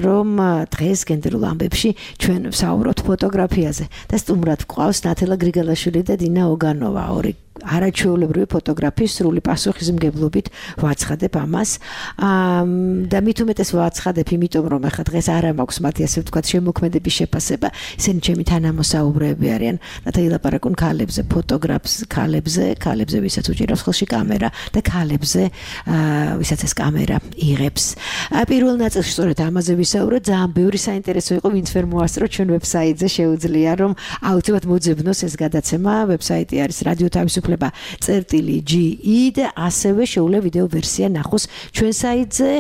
რომ დღეს გენდერულ ამბებში ჩვენ ვსაუბრობთ ფოტოგრაფიაზე და სტუმრად გვყავს ნათელა გრიგალაშვილი და დინა ოგანოვა, ორი არაჩვეულებრივი ფოტოგრაფიის სრული პასუხისმგებლობით ვაცხადებ ამას. და მით უმეტეს ვაცხადებ, იმიტომ რომ ახლა დღეს არ მაქვს მათი ასე ვთქვათ შემოქმედების შეფასება, ისინი ჩემი თანამოსაუბრეები არიან. ნათელი ლაპარაკούν ქალებზე, ფოტოგრაფს ქალებზე, ქალებზე, ვისაც უჭირავს ხელში კამერა და ქალებზე, ვისაც ეს კამერა იღებს. პირველ ნაწილში სწორედ ამაზე ვისაუბროთ, ძალიან ბევრი საინტერესო იყო, ვინც ვერ მოასწრო ჩვენ ვებსაიტზე, შეუძლია რომ აუცილებლად მოძებნოს ეს გადაცემა, ვებსაიტი არის რადიო თავისუფლება წერტილი ჯი ი და ასევე შეუძლია ვიდეო ვერსია ნახოს ჩვენ საიტზე,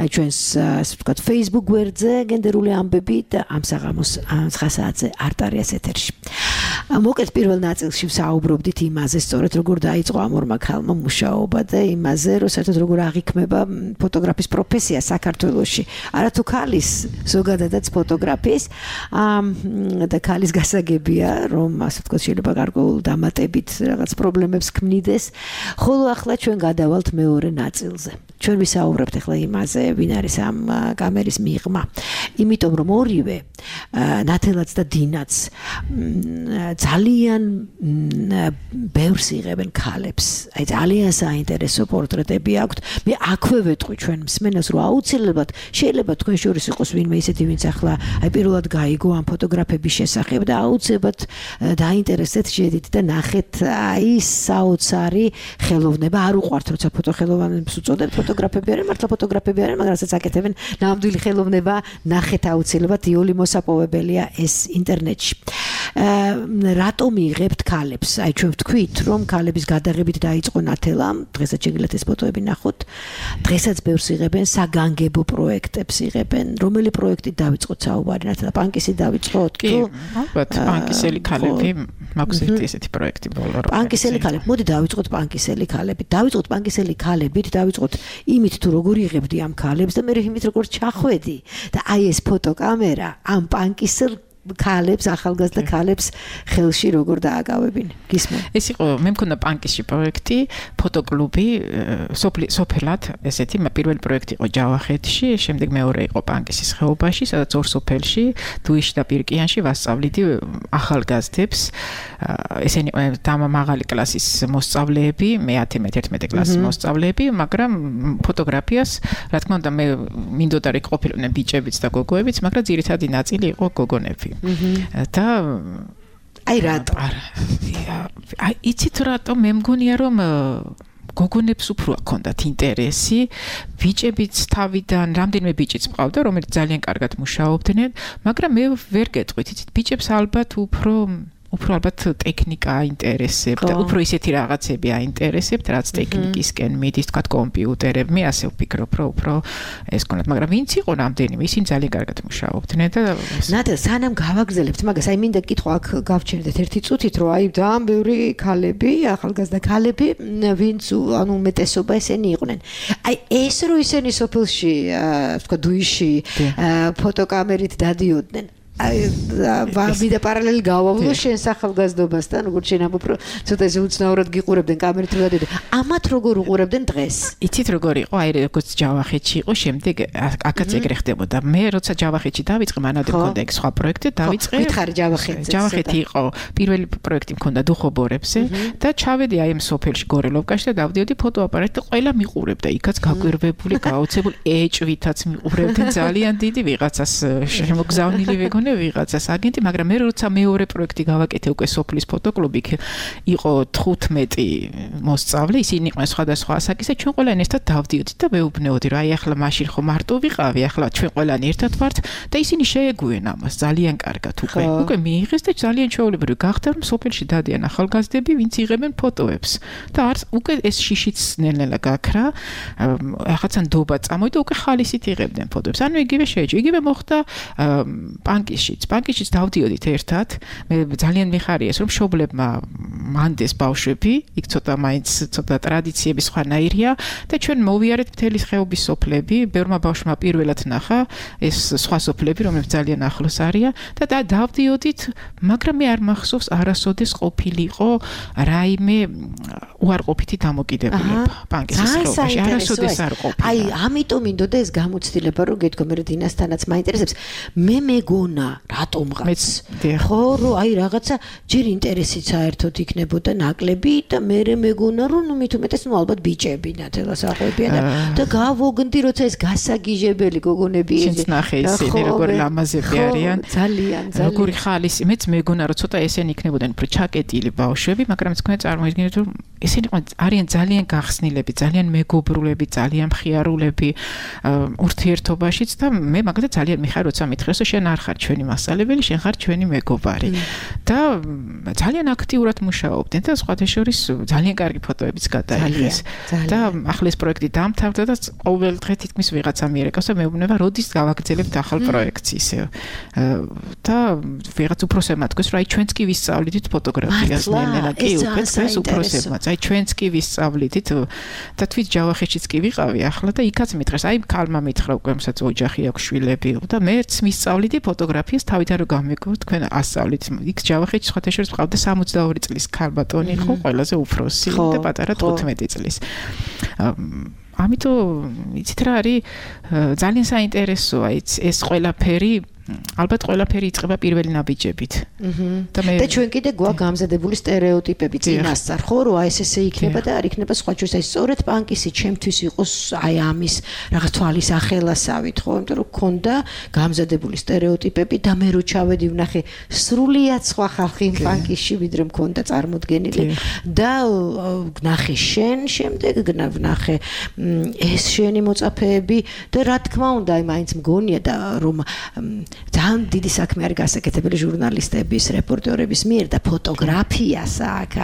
ჩვენს ასე ვთქვათ Facebook გვერდზე გენდერული ამბები და ამ საღამოს nine საათზე არტარიას ეთერში. მოკლედ პირველ ნაწილში ვსაუბრობდით იმაზე, სწორედ როგორ დაიწყო ამ ორმა ქალმა მუშაობა და იმაზე, რომ საერთოდ როგორ აღიქმება ფოტოგრაფის პროფესია საქართველოში. არა თუ ქალის, ზოგადადაც ფოტოგრაფის და ქალის გასაგებია, რომ ასე ვთქვათ შეიძლება გარკვეულ დამატებით რაღაც პრობლემებს ქმნიდეს, ხოლო ახლა ჩვენ გადავალთ მეორე ნაწილზე. ჩვენ ვისაუბრებთ ახლა იმაზე, ვინ არის ამ კამერის მიღმა. იმიტომ რომ ორივე ნათელაც და დინაც ძალიან ბევრს იღებენ ქალებს. აი ძალიან საინტერესო პორტრეტები აქვთ. მე აქვე ვეტყვი ჩვენ მსმენელს, რომ აუცილებლად შეიძლება თქვენ შორის იყოს ვინმე ისეთი, ვინც ახლა აი პირველად გაიგო ამ ფოტოგრაფების შესახებ და აუცილებლად დაინტერესდეთ, შედით და ნახეთ აი საოცარი ხელოვნება. არ უყვართ როცა ფოტოხელოვანებს უწოდებთ, ფოტოგრაფები არიან, მართლა ფოტოგრაფები არიან, მაგრამ რასაც აკეთებენ, ნამდვილი ხელოვნება ნახეთ აუცილებლად, იოლი მოსაპოვებელია ეს ინტერნეტში. რატომ იღებთ ქალებს? აი ჩვენ ვთქვით, რომ ქალების გადაღებით დაიწყო ნათელამ, დღესაც შეგიძლიათ ეს ფოტოები ნახოთ. დღესაც ბევრს იღებენ საგანგებო პროექტებს იღებენ. რომელი პროექტით დაიწყოთ საუბარი? ნათელა პანკისი დაიწყოთ? კი, ალბათ პანკისელი ქალები, მაქვს ერთი ესეთი პროექტი ბოლო რომ. პანკისელი ქალები, მოდი დაიწყოთ პანკისელი ქალებით. დაიწყოთ პანკისელი ქალებით, დაიწყოთ იმით თუ როგორ იღებდი ამ ქალებს და მე იმით როგორ ჩახვედი და აი ეს ფოტოკამერა ამ პანკისელ ქალებს, ახალგაზრდა ქალებს ხელში როგორ დააკავებინ. გისმენ. ეს იყო, მე მქონდა პანკისში პროექტი, ფოტოკლუბი, სოფელად, ესეთი, პირველი პროექტი იყო ჯავახეთში, შემდეგ მეორე იყო პანკისის ხეობაში, სადაც ორ სოფელში, დუიში და პირკიანში ვასწავლიდი ახალგაზრდებს. ესენი დამა მაღალი კლასის მოსწავლეები, მეათე მეთერთმეტე კლასის მოსწავლეები, მაგრამ ფოტოგრაფიას, რა თქმა უნდა, მე მინდოდა რომ ყოფილიყვნენ ბიჭებიც და გოგოებიც, მაგრამ ძირითადი ნაწილი იყო გოგონები. და აი რატო? აი იცით რატო? მე მგონია რომ გოგონებს უფრო აქონდათ ინტერესი, ბიჭებიც თავიდან, რამდენიმე ბიჭიც მყავდა, რომელიც ძალიან კარგად მუშაობდნენ, მაგრამ მე ვერ გეტყვით, იცით, ბიჭებს ალბათ უფრო უფრო ალბათ ტექნიკა აინტერესებთ და უფრო ისეთი რაღაცები აინტერესებთ, რაც ტექნიკისკენ მიდის, თქვა კომპიუტერები, მე ასე ვფიქრობ, რომ უფრო ეს კონდათ, მაგრამ ვინც იყო რამდენიმე, ისინი ძალიან კარგად მუშაობდნენ და ნატა, სანამ გავაგზავნებთ მაგას, აი მინდა კითხვა აქ გავჩერდეთ ერთი წუთით, რომ აი ძალიან ბევრი ქალები, ახალგაზრდა ქალები, ვინც ანუ უმეტესობა ესენი იყვნენ. აი ეს რო ისინი სოფელში, თქვა დუიში, ფოტოკამერით დადიოდნენ. აი ვიდა პარალელი გავავლო შენ ახალგაზრდობასთან, როგორც შენ ამ უფრო ცოტა ესე უცნაურად გიყურებდნენ კამერით რო დადიოდნენ. ამათ როგორ უყურებდნენ დღეს? იცით როგორ იყო? აი როგორც ჯავახეთში იყო, შემდეგ აქაც ეგრე ხდებოდა. მე როცა ჯავახეთში დავიწყე, მანამდე მქონდა ეგ სხვა პროექტი, დავიწყე. ვითხარი ჯავახეთზე. ჯავახეთი იყო პირველი პროექტი მქონდა დუხობორებზე და ჩავედი აი ამ სოფელში გორელოვკაში და დავდიოდი ფოტოაპარატით და ყველა მიყურებდა. იქაც გაგვირვებული, გაოცებული ეჭვითაც მიყურებდნენ ძალიან დიდი ვიღაცას შემოგზავნილი ვეგონი ვიღაცას აგენტი, მაგრამ მე როცა მეორე პროექტი გავაკეთე უკვე სოფლის ფოტოკლუბი, იყო თხუთმეტი მოსწავლე, ისინი იყვნენ სხვადასხვა ასაკის და ჩვენ ყველანი ერთად დავდიოდით და მეუბნეოდი, რომ აი ახლა მაშინ ხო მარტო ვიყავი, ახლა ჩვენ ყველანი ერთად ვართ და ისინი შეეგუენ ამას ძალიან კარგად უკვე. უკვე მიიღეს და ძალიან ჩვეულებრივი გახდა, რომ სოფელში დადიან ახალგაზრდები, ვინც იღებენ ფოტოებს. და არც უკვე ეს შიშიც ნელ-ნელა გაქრა, ახლა ნდობა წამოვიდა, უკვე ხალისით იღებდნენ ფოტოებს. ანუ იგივე შეეჭი. იგივე მოხდა პანკი პანკიშიც დავდიოდით ერთად. მე ძალიან მიხარია, რომ მშობლებმა მანდეს ბავშვები, იქ ცოტა მაინც ცოტა ტრადიციები სხვანაირია და ჩვენ მოვიარეთ მთელი ხეობის სოფლები, ბევრმა ბავშვმა პირველად ნახა ეს სხვა სოფლები, რომლებიც ძალიან ახლოს არიან და დავდიოდით, მაგრამ მე არ მახსოვს არასოდეს ყოფილიყო რაიმე უარყოფითი დამოკიდებულება პანკის ხეობაში. არასოდეს არ ყოფილა. აი, ამიტომ მინდოდა ეს გამოცდილება, რომ გეთქო მე დინასთანაც მაინტერესებს. მე მეგონა რატომღაც ხო რომ აი რაღაცა ჯერ ინტერესით საერთოდ იქნებოდა ნაკლები და მე მეგონა რომ ნუ მით უმეტეს ნუ ალბათ ბიჭები ნათელას აღვებიან და გავოგნდი როცა ეს გასაგიჟებელი გოგონები ეს ნახე ისინი როგორ ლამაზები არიან ძალიან ძალიან როგორი ხალისი მეც მეგონა რომ ცოტა ესენი იქნებოდნენ უფრო ჩაკეტილი ბავშვები მაგრამ თქვენ წარმოიდგინეთ რომ ესენი არიან ძალიან გახსნილები ძალიან მეგობრულები ძალიან მხიარულები ურთიერთობაშიც და მე მაგალითად ძალიან მიხარ როცა მითხრეს რომ შენ არ ხარ ჩვენი მასწავლებელი, შენ ხარ ჩვენი მეგობარი. და ძალიან აქტიურად მუშაობდნენ და სხვათა შორის ძალიან კარგი ფოტოებიც გადაიღეს. და ახლა ეს პროექტი დამთავრდა და ყოველ დღე თითქმის ვიღაცა მიერეკავს და მეუბნება, როდის გავაგრძელებთ ახალ პროექტს ისე. და ვიღაც უფროსებმა თქვეს, რომ აი ჩვენც კი ვისწავლით ფოტოგრაფიას ნელ-ნელა კი უკვე თქვენს უფროსებმა. აი ჩვენც კი ვისწავლით და თვით ჯავახეთშიც კი ვიყავი ახლა და იქაც მითხრეს, აი ქალმა მითხრა უკვე მსაც ოჯახი აქვს შვილები და მეც მისწავლიდი ფოტოგრაფიას თავიდან რომ გამიგო თქვენ ასწავლით იქ ჯავახეთში სხვათა შორის მყავდა სამოცდაორი წლის ქალბატონი ხო ყველაზე უფროსი და პატარა თხუთმეტი წლის ამიტომ იცით რა არის ძალიან საინტერესოა ეს ყველაფერი ალბათ ყველაფერი იწყება პირველი ნაბიჯებით. და მე და ჩვენ კიდე გვაქვს გამზადებული სტერეოტიპები წინასწარ, ხო, რომ აი ეს ესე იქნება და არ იქნება სხვა ჩვენს აი სწორედ პანკისი ჩემთვის იყოს აი ამის რაღაც თვალის ახელასავით, ხო, იმიტომ რომ ქონდა გამზადებული სტერეოტიპები და მე რო ჩავედი ვნახე სრულიად სხვა ხალხი პანკისში ვიდრე მქონდა წარმოდგენილი და ვნახე შენ შემდეგ ვნახე ეს შენი მოწაფეები და რა თქმა უნდა აი მაინც მგონია და რომ ძალიან დიდი საქმე არის გასაკეთებელი ჟურნალისტების, რეპორტერების მიერ და ფოტოგრაფიას აქ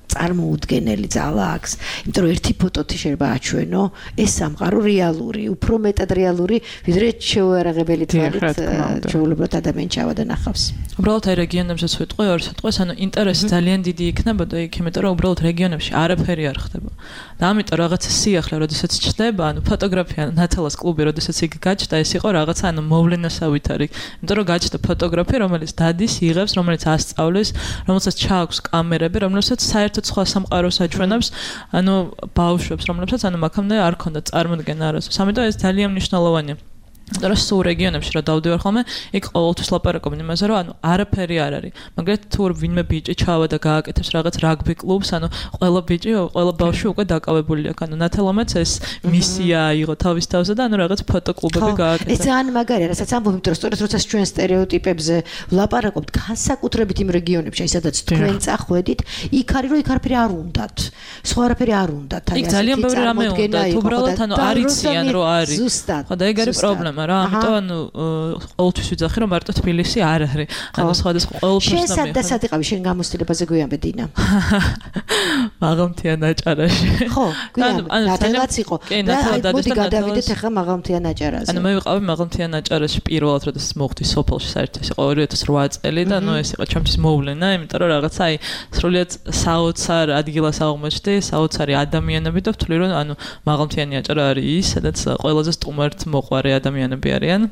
წარმოუდგენელი ძალა აქვს. იმიტომ რომ ერთი ფოტოთი შეიძლება აჩვენო ეს სამყარო რეალური, უფრო მეტად რეალური, ვიდრე შეუარაღებელი თვალით ჩვეულებრივ ადამიანს ჩავადანახავს. უბრალოდ აი რეგიონებზეც ვიტყვი ორ სიტყვას, ანუ ინტერესი ძალიან დიდი იქნებოდა იქ, იმიტომ რომ უბრალოდ რეგიონებში არაფერი არ ხდება. და ამიტომ რაღაცა სიახლე, როდესაც ჩდება, ანუ ფოტოგრაფია ნათელას კლუბი, როდესაც იქ გაჩნდა, ეს იყო რაღაცა ანუ მოვლენასავით არის. იმიტომ რომ გაჩნდა ფოტოგრაფი, რომელიც დადის, იღებს, რომელიც ასწავლის, რომელსაც ჩააქვს კამერები, რომელსაც საერთოდ სხვა სამყაროს აჩვენებს, ანუ ბავშვებს, რომლებსაც ანუ მაგამდე არ ქონდა წარმოდგენა არასდროს. ამიტომ ეს ძალიან მნიშვნელოვანია. და რა სულ რეგიონებში რა დავდივარ ხოლმე, იქ ყოველთვის ლაპარაკობენ იმაზე, რომ ანუ არაფერი არ არის. მაგრამ თუ ვინმე ბიჭი ჩავა და გააკეთებს რაღაც რაგბი კლუბს, ანუ ყველა ბიჭი, ყველა ბავშვი უკვე დაკავებული აქვს. ანუ ნათელამაც ეს მისია აიღო თავის თავზე და ანუ რაღაც ფოტოკლუბები გააკეთა. ეს ძალიან მაგარია, რასაც ამბობთ, რომ სწორედ როცა ჩვენ სტერეოტიპებზე ვლაპარაკობთ, განსაკუთრებით იმ რეგიონებში, აი სადაც თქვენ წახვედით, იქ არის რომ იქ არაფერი არ უნდათ. სხვა არაფერი არ უნდათ. აი ძალიან ბევრი რამე უნდათ. უბრალოდ ანუ არ იციან რომ არის. ხო და ეგ არის პრობლემა. რა, ამიტომ ანუ ყოველთვის ვიძახი რომ მარტო თბილისი არ არის. ანუ სხვადასხვა ყოველთვის შენ სად და სად იყავი შენ გამოცდილებაზე გვიანბე დინა? მაღალმთიან აჭარაში. ხო, გვიან ნათელაც იყო. კი, ნათელად დადეს და გადავიდეთ ახლა მაღალმთიან აჭარაზე. ანუ მე ვიყავი მაღალმთიან აჭარაში პირველად როდესაც მოხდი სოფელში საერთოდ იყო ორი ათას რვა წელი და ნუ ეს იყო ჩემთვის მოვლენა, იმიტომ რომ რაღაცა აი სრულიად საოცარ ადგილას აღმოჩნდი, საოცარი ადამიანები და ვთვლი რომ ანუ მაღალმთიანი აჭარა არის ის, სადაც ყველაზე სტუმართ მოყვარე ადამიანები არიან.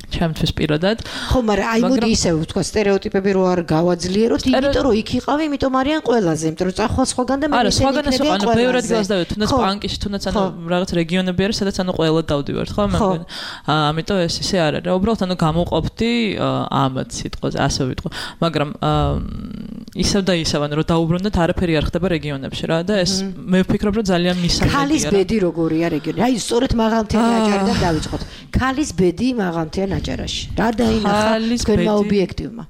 ჩემთვის პირადად. ხო, მაგრამ აი მოდი ისე ვთქვა, სტერეოტიპები რო არ გავაძლიეროთ, იმიტომ რომ იქ იყავი, იმიტომ არიან ყველაზე, იმიტომ რომ წახვალ სხვაგან და მე არა, სხვაგან ეს ანუ ბევრ ადგილას დავიდე, თუნდაც პანკიში, თუნდაც ანუ რაღაც რეგიონები არის, სადაც ანუ ყველა დავდივართ, ხო, მე მგონი. აა, ამიტომ ეს ისე არ არის. უბრალოდ ანუ გამოვყოფდი ამათ სიტყვაზე, ასე ვიტყვი. მაგრამ აა ისევ და ისევ ანუ რომ დაუბრუნდეთ, არაფერი არ ხდება რეგიონებში რა და ეს მე ვფიქრობ რომ ძალიან მისაღებია. ქალის ბედი როგორია რეგიონი? აი სწორედ მაღალმთიანი აჭარიდან დავიწყოთ. ქალის ბედი მაღალმთიან აჭარაში. რა დაინახა თქვენმა ობიექტივმა?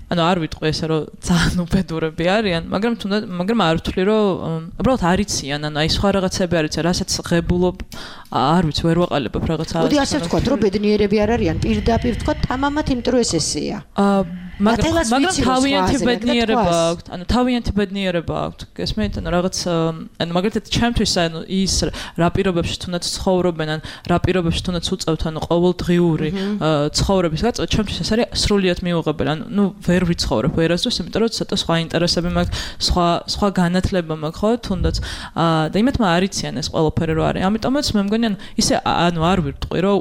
ანუ არ ვიტყვი ესე რომ ძალიან უბედურები არიან, მაგრამ თუნდაც მაგრამ არ ვთვლი რომ უბრალოდ არიციან, ანუ აი სხვა რაღაცები არიციან, რასაც ღებულობ, არ ვიცი, ვერ ვაყალებებ რაღაცა. მოდი ასე ვთქვათ, რომ ბედნიერები არ არიან, პირდაპირ ვთქვათ, თამამად, იმიტომ რომ ეს ესეა. აა მაგრამ მაგრამ თავიანთი ბედნიერება აქვს, ანუ თავიანთი ბედნიერება აქვს. გესმენთ, ანუ რაღაც ანუ მაგალითად ჩემთვის ანუ ის რა პირობებში თუნდაც ცხოვრობენ, ან რა პირობებში თუნდაც უწევთ, ანუ ყოველდღიური ცხოვრების გაწევა, ჩემთვის ეს არის სრულიად მიუღებელი. ანუ ნუ ვერ ვიცხოვრებ ვერასდროს, იმიტომ რომ ცოტა სხვა ინტერესები მაქვს, სხვა სხვა განათლება მაქვს, ხო, თუნდაც და იმეთმა არიციან ეს ყველაფერი რო არის. ამიტომაც მე მგონი ანუ ისე ანუ არ ვიტყვი რომ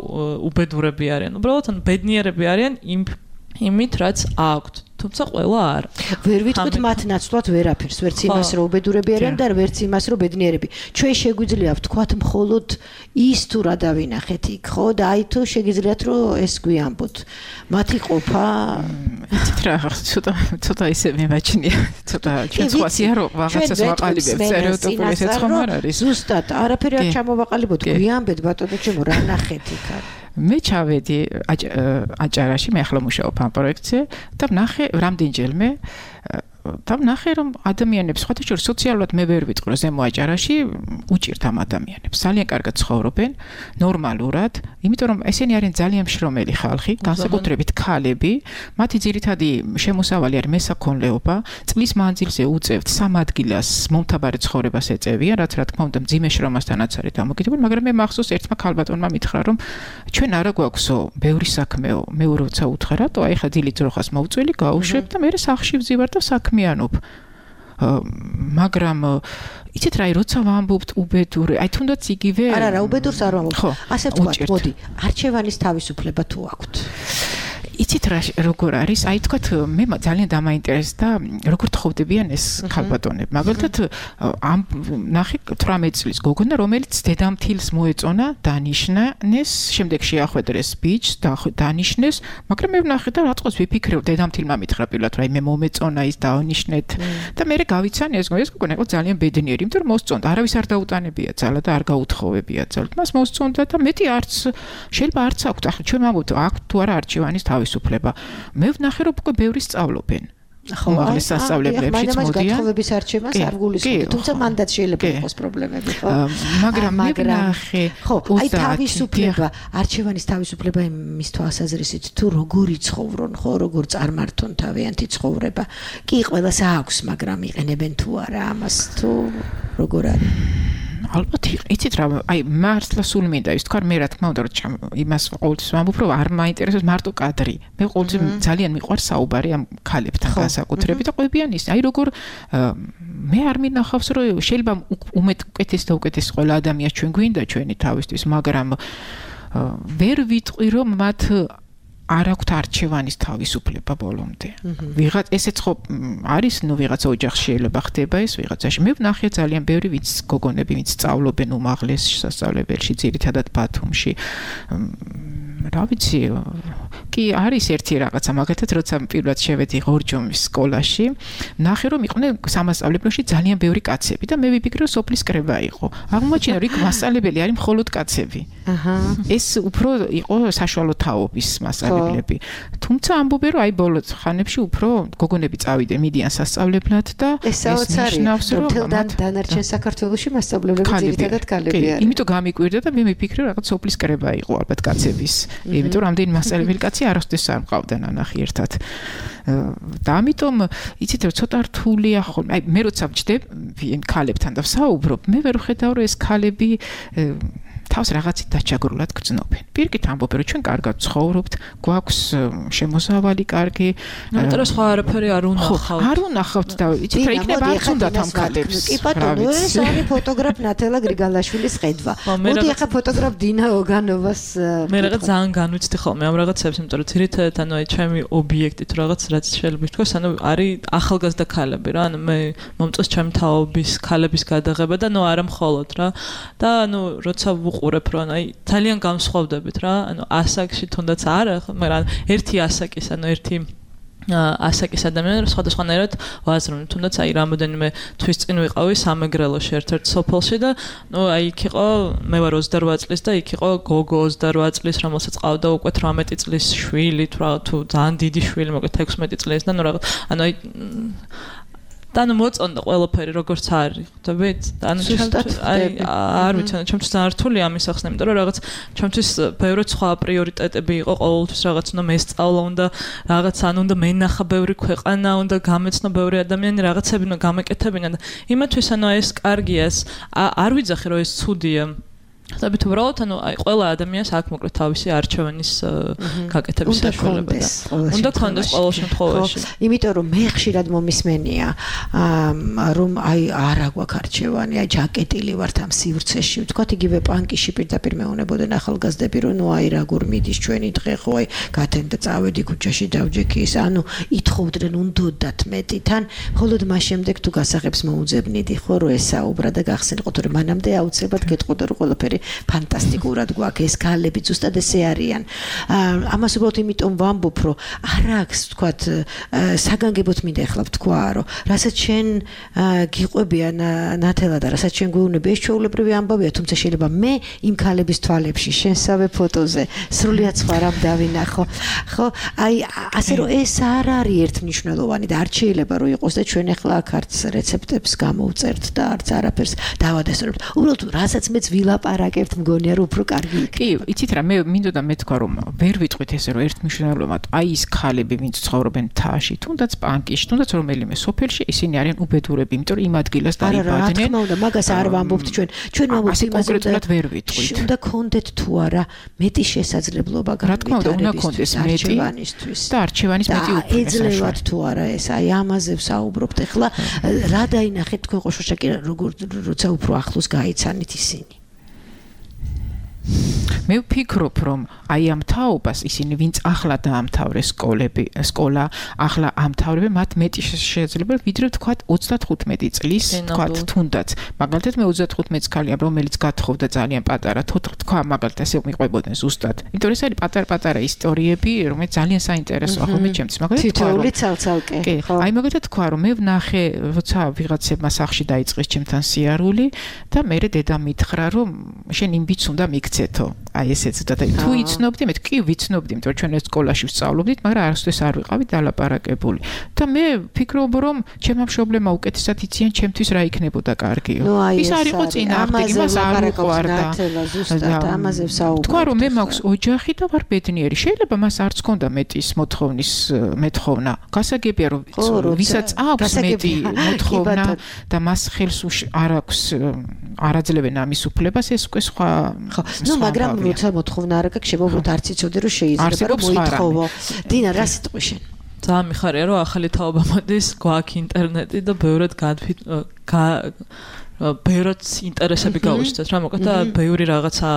უბედურები არიან. უბრალოდ ანუ ბედნიერები არიან იმ იმით რაც აქვთ. თუმცა ყველა არ. ვერ ვიტყვით მათ ნაცვლად ვერაფერს, ვერც იმას რომ უბედურები არიან და ვერც იმას რომ ბედნიერები. ჩვენ შეგვიძლია ვთქვათ მხოლოდ ის თუ რა დავინახეთ იქ, ხო? და აი თუ შეგიძლიათ რომ ეს გვიამბოთ. მათი ყოფა იცით რა, ცოტა ცოტა ისე მიმაჩნია. ცოტა ჩვენ სხვასია რომ რაღაცას ვაყალიბებთ, სტერეოტიპული ესეც ხომ არ არის. ზუსტად, არაფერი არ ჩამოვაყალიბოთ, გვიამბეთ ბატონო ჩემო, რა ნახეთ იქ არის. მე ჩავედი აჭარაში, მე ახლა მუშაობ ამ პროექტზე და ვნახე რამდენჯერმე და ვნახე რომ ადამიანებს სხვათა შორის სოციალურად მე ვერ ვიტყვი რომ ზემო აჭარაში უჭირთ ამ ადამიანებს. ძალიან კარგად ცხოვრობენ, ნორმალურად, იმიტომ რომ ესენი არიან ძალიან მშრომელი ხალხი, განსაკუთრებით ქალები, მათი ძირითადი შემოსავალი არის მესაქონლეობა, წლის მანძილზე უწევთ სამ ადგილას მომთაბარე ცხოვრებას ეწევიან, რაც რა თქმა უნდა მძიმე შრომასთანაც არის დამოკიდებული, მაგრამ მე მახსოვს ერთმა ქალბატონმა მითხრა რომ ჩვენ არა გვაქვსო ბევრი საქმეო, მე როცა უთხრა რატო აი ხა დილით ძროხას მოვწვილი, გავუშვებ და მე სახლში ვზივარ და საქმიანობ. მაგრამ იცით რა, როცა ვამბობთ უბედური, აი თუნდაც იგივე არა რა, უბედურს არ ვამბობ. ასე ვთქვათ, მოდი, არჩევანის თავისუფლება თუ აქვთ. იცით რა როგორ არის? აი თქვათ მე ძალიან დამაინტერესდა როგორ თხოვდებიან ეს ქალბატონები. მაგალითად ამ ნახე თვრამეტი წლის გოგონა, რომელიც დედამთილს მოეწონა, დანიშნეს, შემდეგ შეახვედრეს ბიჭს, დანიშნეს, მაგრამ მე ვნახე და რაწყოს ვიფიქრე, დედამთილმა მითხრა პირველად, რა მე მომეწონა ის დაანიშნეთ და მე გავიცანი ეს ეს გოგონა იყო ძალიან ბედნიერი, იმიტომ რომ მოსწონდა, არავის არ დაუტანებია ძალა და არ გაუთხოვებია ძალა. მას მოსწონდა და მეტი არც შეიძლება არც აქვთ. ახლა ჩვენ ვამბობთ, აქვთ თუ არა არჩევანის თავისუფლება. მე ვნახე რომ უკვე ბევრი სწავლობენ. ხო, მაგის სასწავლებლებში მოდიან. გათხოვების არჩევანს არ გულისხმობთ, თუმცა მანდაც შეიძლება იყოს პრობლემები, ხო? მაგრამ მე ვნახე, ხო, აი თავისუფლება, არჩევანის თავისუფლება იმის თვალსაზრისით თუ როგორი ცხოვრონ, ხო, როგორ წარმართონ თავიანთი ცხოვრება. კი, ყველას აქვს, მაგრამ იყენებენ თუ არა ამას თუ როგორ არის? ალბათ იცით რა, აი მართლა სულ მინდა ის თქვა, მე რა თქმა უნდა რომ იმას ყოველთვის ვამბობ, რომ არ მაინტერესებს მარტო კადრი. მე ყოველთვის ძალიან მიყვარს საუბარი ამ ქალებთან განსაკუთრებით და ყვებიან ის. აი როგორ მე არ მინახავს რომ შეიძლება უმეტ უკეთეს და უკეთეს ყველა ადამიანს ჩვენ გვინდა ჩვენი თავისთვის, მაგრამ ვერ ვიტყვი რომ მათ არ აქვთ არჩევანის თავისუფლება ბოლომდე. ვიღაც ესეც ხო არის, ნუ ვიღაცა ოჯახში შეიძლება ხდება ეს ვიღაცაში. მე ვნახე ძალიან ბევრი ვინც გოგონები, ვინც სწავლობენ უმაღლეს სასწავლებელში, ძირითადად ბათუმში. რა ვიცი, კი არის ერთი რაღაცა, მაგათაც როცა პირველად შევედი ღორჯომის სკოლაში, ნახე რომ იყვნენ სამასწავლებლოში ძალიან ბევრი კაცები და მე ვიფიქრე რომ სოფლის კრება იყო. აღმოჩნდა რომ იქ მასწავლებელი არის მხოლოდ კაცები. აჰა. ეს უფრო იყო საშუალო თაობის მასწავლებლები. თუმცა ამბობენ რომ აი ბოლო ხანებში უფრო გოგონები წავიდნენ მიდიან სასწავლებლად და ეს ნიშნავს რომ დანარჩენ საქართველოში მასწავლებლები ძირითადად კალები არიან. იმიტომ გამიკვირდა და მე მიფიქრე რომ რაღაც სოფლის კრება იყო ალბათ კაცების. იმიტომ რომ ამდენი მასწავლებელი კაცი არასდროს არ მყავდა ნანახი ერთად. და ამიტომ იცით რომ ცოტა რთულია ხოლმე. აი მე როცა ვჯდები ქალებთან და ვსაუბრობ, მე ვერ ვხედავ რომ ეს ქალები თავს რაღაცით დაჩაგრულად გრძნობენ. პირკით ამბობენ რომ ჩვენ კარგად ცხოვრობთ, გვაქვს შემოსავალი კარგი. იმიტომ რომ სხვა არაფერი არ უნახავთ. არ უნახავთ და იცით რა იქნება არც უნდათ ამ ქალებს. კი ბატონო, ეს არის ფოტოგრაფ ნათელა გრიგალაშვილის ხედვა. მოდი ახლა ფოტოგრაფ დინა ოგანოვას მე რაღაც ძალიან განვიცდი ხოლმე ამ რაღაცებს, იმიტომ რომ თირითადად ანუ აი ჩემი ობიექტი თუ რაღაც რაც შეიძლება თქვას, ანუ არის ახალგაზრდა ქალები რა, ანუ მე მომწონს ჩემი თაობის ქალების გადაღება და ნუ არა მხოლოდ რა. და ანუ როცა ვუყურებ რომ აი ძალიან გამსხვავდებით რა, ანუ ასაკში თუნდაც არა, მაგრამ ერთი ასაკის, ანუ ერთი ასაკის ადამიანები სხვადასხვანაირად ვაზრობენ. თუნდაც აი რამოდენიმე თვის წინ ვიყავი სამეგრელოში ერთ-ერთ სოფელში და ნუ აი იქ იყო მე ვარ ოცდარვა წლის და იქ იყო გოგო ოცდარვა წლის, რომელსაც ყავდა უკვე თვრამეტი წლის შვილი, თუ ძალიან დიდი შვილი, მოკლედ ექვსმეტი წლის და ნუ რაღაც ანუ აი და ნუ მოწონდა ყველაფერი როგორც არის. ხვდებით? ანუ აი არ ვიცი, ჩემთვის ძალიან რთული ამის ახსნა, იმიტომ რომ რაღაც ჩემთვის ბევრი სხვა პრიორიტეტები იყო ყოველთვის რაღაც უნდა მესწავლა, უნდა რაღაც ან უნდა მენახა ბევრი ქვეყანა, უნდა გამეცნო ბევრი ადამიანი, რაღაცები უნდა გამეკეთებინა და იმათვის ანუ ეს კარგია, არ ვიძახი რომ ეს ცუდია. ხდებით უბრალოდ ანუ აი ყველა ადამიანს აქვს მოკლედ თავისი არჩევანის გაკეთების საშუალება და უნდა კონდეს ყოველ შემთხვევაში. იმიტომ რომ მე ხშირად მომისმენია რომ აი არა გვაქვს არჩევანი, აი ჯაკეტილი ვართ ამ სივრცეში. ვთქვათ იგივე პანკიში პირდაპირ მეუნებოდნენ ახალგაზრდები რომ ნუ აი რა გურ მიდის ჩვენი დღე ხო აი გათენ და წავედი ქუჩაში დავჯექი ის ანუ ითხოვდნენ უნდოდათ მეტი თან მხოლოდ მას შემდეგ თუ გასაღებს მოუძებნიდი ხო რომ ესაუბრა და გახსენიყოთ რომ მანამდე აუცილებლად გეტყოდა რომ ყველაფერი ფანტასტიკურად გვაქვს ეს ქალები ზუსტად ესე არიან. ამას უბრალოდ იმიტომ ვამბობ რომ არ აქვს თქვათ საგანგებოდ მინდა ახლა ვთქვა რომ რასაც შენ გიყვებია ნათელა და რასაც შენ გვეუბნები ეს ჩვეულებრივი ამბავია, თუმცა შეიძლება მე იმ ქალების თვალებში შენსავე ფოტოზე სრულიად სხვა რამ დავინახო. ხო აი ასე რომ ეს არ არის ერთმნიშვნელოვანი და არ შეიძლება რომ იყოს და ჩვენ ახლა აქ არც რეცეპტებს გამოვწერთ და არც არაფერს დავადასტურებთ. უბრალოდ რასაც მეც ვილაპარაკებთ მგონია რომ უფრო კარგი იქნება. კი, იცით რა, მე მინდოდა მეთქვა რომ ვერ ვიტყვით ესე რომ ერთმნიშვნელოვნად აი ის ქალები ვინც ცხოვრობენ მთაში, თუნდაც პანკიში, თუნდაც რომელიმე სოფელში, ისინი არიან უბედურები, იმიტომ რომ იმ ადგილას დაიბადნენ. რა თქმა უნდა, მაგას არ ვამბობთ ჩვენ. ჩვენ ვამბობთ იმას კონკრეტულად ვერ ვიტყვით. უნდა კონდეთ თუ არა მეტი შესაძლებლობა განვითარების არჩევანისთვის და არჩევანის მეტი უფლება. ეძლევათ თუ არა ეს, აი ამაზე ვსაუბრობთ. ეხლა რა დაინახეთ თქვენ ყოშოშა კი როგორ როცა უფრო ახლოს გაიცანით ისინი. მე ვფიქრობ რომ აი ამ თაობას ისინი ვინც ახლა დაამთავრეს სკოლები, სკოლა, ახლა ამთავრებენ, მათ მეტი შეიძლება ვიდრე თქვათ ოცდათხუთმეტი წლის, თქვათ თუნდაც. მაგალითად მე ოცდათხუთმეტი ქალია, რომელიც გათხოვდა ძალიან პატარა, თქვა მაგალითად ასე მიყვებოდნენ ზუსტად. იმიტომ რომ ეს არის პატარ-პატარა ისტორიები, რომელიც ძალიან საინტერესოა ხოლმე ჩემთვის. მაგალითად თქვა რომ თითოეული ცალ-ცალკე. ხო. აი მაგალითად თქვა რომ მე ვნახე, როცა ვიღაცებმა სახში დაიწყეს ჩემთან სიარული და მე დედა მითხრა რომ შენ იმ ბიჭს უნდა მიქცეთო. აი ესეც და თუ იცნობდი, მე კი ვიცნობდი, იმიტომ რომ ჩვენ ეს სკოლაში ვსწავლობდით, მაგრამ არასდროს არ ვიყავით დალაპარაკებული. და მე ვფიქრობ რომ ჩემმა მშობლებმა უკეთესად იციან ჩემთვის რა იქნებოდა კარგიო. ის არ იყო წინააღმდეგი, მას არ უყვარდა. ზუსტად ამაზე ვსაუბრობ. თქვა რომ მე მაქვს ოჯახი და ვარ ბედნიერი. შეიძლება მას არც ჰქონდა მეტის მოთხოვნის მეთხოვნა. გასაგებია რომ ვისაც აქვს მეტი მოთხოვნა და მას ხელს არ აქვს არაძლევენ ამის უფლებას, ეს უკვე სხვა ხო, ნუ მაგრამ როცა მოთხოვნა არ აქვს, შეიძლება უბრალოდ არც იცოდე რომ შეიძლება რომ მოითხოვო. დინა, რა სიტყვი შენ? ძალიან მიხარია რომ ახალი თაობა მოდის, გვაქვს ინტერნეტი და ბევრად გადვით ბევრად ინტერესები გავუსწრეთ რა, მოკლედ და ბევრი რაღაცა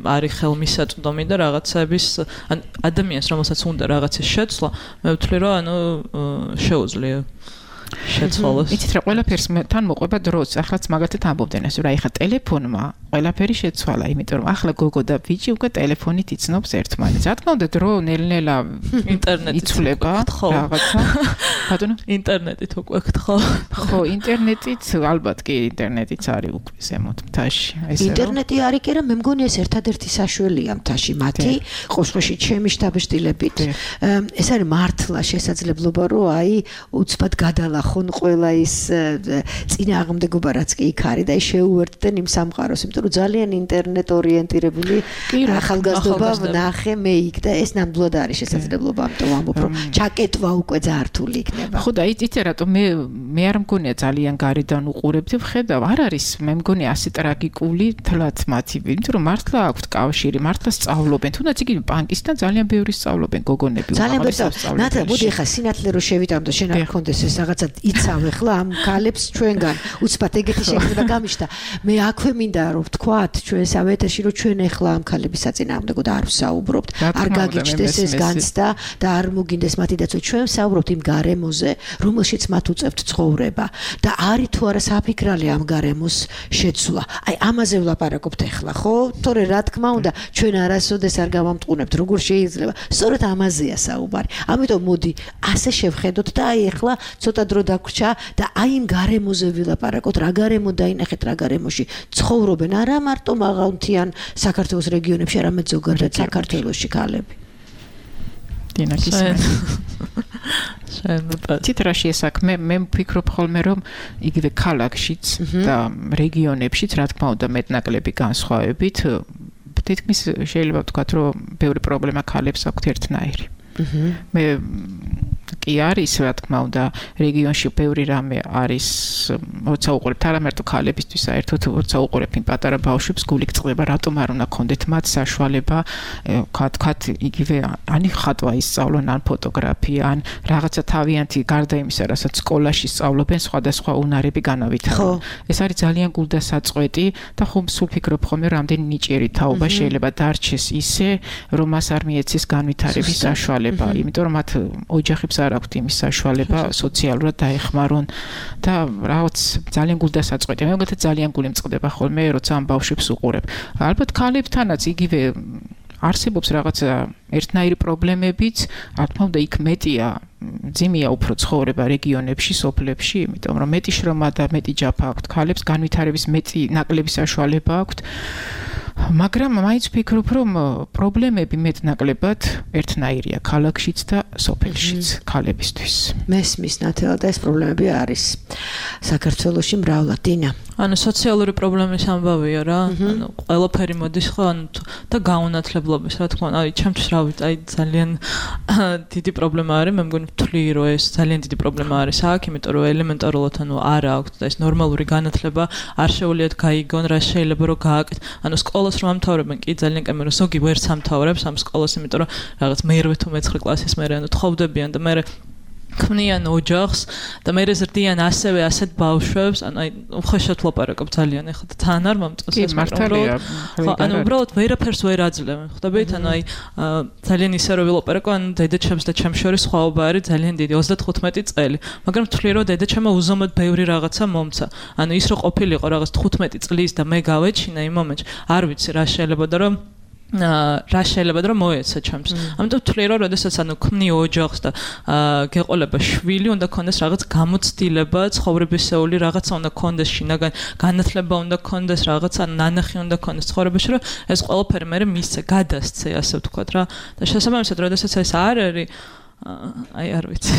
არის ხელმისაწვდომი და რაღაცების ან ადამიანს რომელსაც უნდა რაღაცის შეცვლა, მე ვთვლი რომ ანუ შეუძლია. შეცვალოს. იცით რა, ყველაფერს თან მოყვება დროც. ახლაც მაგათად ამბობდნენ ასე, რა ეხა ტელეფონმა ყველაფერი შეცვალა, იმიტომ რომ ახლა გოგო და ბიჭი უკვე ტელეფონით იცნობს ერთმანეთს. რა თქმა უნდა, დრო ნელ-ნელა ინტერნეტით იცვლება რაღაცა. ბატონო, ინტერნეტით უკვე გთხო. ხო, ინტერნეტით ალბათ კი ინტერნეტიც არის უკვე ზემოთ მთაში. ინტერნეტი არის კი რა, მე მგონი ეს ერთადერთი საშუალია მთაში მათი, ყოშყოში ჩემი შტაბშტილებით. ეს არის მართლა შესაძლებლობა, რომ აი უცბად გადალახონ ყველა ის წინააღმდეგობა რაც კი იქ არის და შეუერთდნენ იმ სამყაროს, იმიტომ რომ ძალიან ინტერნეტ ორიენტირებული ახალგაზრდობა ვნახე მე იქ და ეს ნამდვილად არის შესაძლებლობა, ამიტომ ვამბობ, რომ ჩაკეტვა უკვე ძალიან რთული იქნება. ხო და იცით რატომ მე მე არ მგონია ძალიან გარედან უყურებდი, ვხედავ, არ არის მე მგონი ასე ტრაგიკული თლაც მათი, იმიტომ რომ მართლა აქვთ კავშირი, მართლა სწავლობენ, თუნდაც იგი ბანკისთან ძალიან ბევრი სწავლობენ გოგონები. ძალიან ბევრი სწავლობენ. ნათა, მოდი ახლა სინათლე რო შევიტანო და შენ არ გქონდეს ეს რაღაცა იცავ ახლა ამ ქალებს ჩვენგან უცბად ეგეთი შექმნა გამიშთა. მე აქვე მინდა რომ ვთქვათ ჩვენ სამ ეთერში რომ ჩვენ ახლა ამ ქალების საწინააღმდეგოდ არ ვსაუბრობთ, არ გაგიჩნდეს ეს განცდა და არ მოგინდეს მათი დაცვა. ჩვენ ვსაუბრობთ იმ გარემოზე, რომელშიც მათ უწევთ ცხოვრება და არის თუ არა საფიქრალი ამ გარემოს შეცვლა. აი ამაზე ვლაპარაკობთ ახლა, ხო? თორე რა თქმა უნდა, ჩვენ არასოდეს არ გავამტყუნებთ, როგორ შეიძლება. სწორედ ამაზეა საუბარი. ამიტომ მოდი ასე შევხედოთ და აი ახლა ცოტა დრო დაგვრჩა და აი იმ გარემოზე ვილაპარაკოთ, რა გარემო დაინახეთ, რა გარემოში ცხოვრობენ, არა მარტო მაღალმთიან საქართველოს რეგიონებში, არამედ ზოგადად საქართველოში ქალები. დინა კისმენ. თიტრაში ესაქმე მე ვფიქრობ ხოლმე რომ იგივე ქალაქშიც და რეგიონებშიც რა თქმა უნდა მეტნაკლები განსხვავებით თითქმის შეიძლება ვთქვათ რომ ბევრი პრობლემა ქალებს აქვთ ერთნაირი. მე კი არის რა თქმა უნდა რეგიონში ბევრი რამე არის როცა უყურებთ არა მარტო ქალებისთვის საერთოდ როცა უყურებთ იმ პატარა ბავშვებს გული გწყდება რატომ არ უნდა ქონდეთ მათ საშუალება ვთქვათ იგივე ან ხატვა ისწავლონ ან ფოტოგრაფია ან რაღაცა თავიანთი გარდა იმისა რასაც სკოლაში სწავლობენ სხვადასხვა უნარები განავითარონ ეს არის ძალიან გულდასაწყვეტი და ხომ სულ ფიქრობ ხოლმე რამდენი ნიჭიერი თაობა შეიძლება დარჩეს ისე რომ მას არ მიეცეს განვითარების საშუალება იმიტომ რომ მათ ოჯახებს არ აქვთ იმის საშუალება სოციალურად დაეხმარონ და რაღაც ძალიან გულდასაწყვეტია. მე მგონია ძალიან გული მწყდება ხოლმე როცა ამ ბავშვებს უყურებ. ალბათ ქალებთანაც იგივე არსებობს რაღაცა ერთნაირი პრობლემებიც, რა თქმა უნდა იქ მეტია ძიმია უფრო ცხოვრება რეგიონებში, სოფლებში, იმიტომ რომ მეტი შრომა და მეტი ჯაფა აქვთ ქალებს, განვითარების მეტი ნაკლები საშუალება აქვთ. მაგრამ მაინც ვფიქრობ, რომ პრობლემები მეტნაკლებად ერთნაირია ქალაქშიც და სოფელშიც ქალებისთვის. მესმის ნათელა და ეს პრობლემები არის საქართველოში მრავლად. დინა. ანუ სოციალური პრობლემის ამბავია რა. ანუ ყველაფერი მოდის ხო ანუ და გაუნათლებლობის, რა თქმა უნდა, აი ჩემთვის რავით, აი ძალიან დიდი პრობლემა არის, მე მგონი ვთვლი რომ ეს ძალიან დიდი პრობლემა არის აქ, იმიტომ რომ ელემენტარულად ანუ არ აქვს და ეს ნორმალური განათლება არ შეუძლიათ გაიგონ, რა შეიძლება რომ გააკეთონ. ანუ სკოლას რომ ამთავრებენ კი ძალიან კამერა ზოგი ვერც ამთავრებს ამ სკოლას, იმიტომ რომ რაღაც მერვე თუ მეცხრე კლასის მერე ანუ თხოვდებიან და მე ქმნიან ოჯახს და მე ზრდიან ასევე ასეთ ბავშვებს, ანუ აი უხეშად ლაპარაკობ ძალიან ეხლა და თან არ მომწონს ეს მართალია. ხო, ანუ უბრალოდ ვერაფერს ვერ აძლევენ. ხვდებით, ანუ აი ძალიან ისე რომ ვილაპარაკო, ანუ დედაჩემს და ჩემს შორის სხვაობა არის ძალიან დიდი, ოცდათხუთმეტი წელი. მაგრამ ვთვლი რომ დედაჩემმა უზომოდ ბევრი რაღაცა მომცა. ანუ ის რომ ყოფილიყო რაღაც თხუთმეტი წლის და მე გავეჩინა იმ მომენტში, არ ვიცი რა შეიძლება და რომ რა შეიძლება რომ მოეცა ჩემს. ამიტომ ვთვლი რომ როდესაც ანუ ქმნი ოჯახს და გეყოლება შვილი, უნდა ქონდეს რაღაც გამოცდილება, ცხოვრებისეული რაღაცა უნდა ქონდეს შინაგან, განათლება უნდა ქონდეს, რაღაცა ნანახი უნდა ქონდეს ცხოვრებაში, რომ ეს ყველაფერი მე მისცე, გადასცე, ასე ვთქვათ რა. და შესაბამისად, როდესაც ეს არ არის, აი არ ვიცი.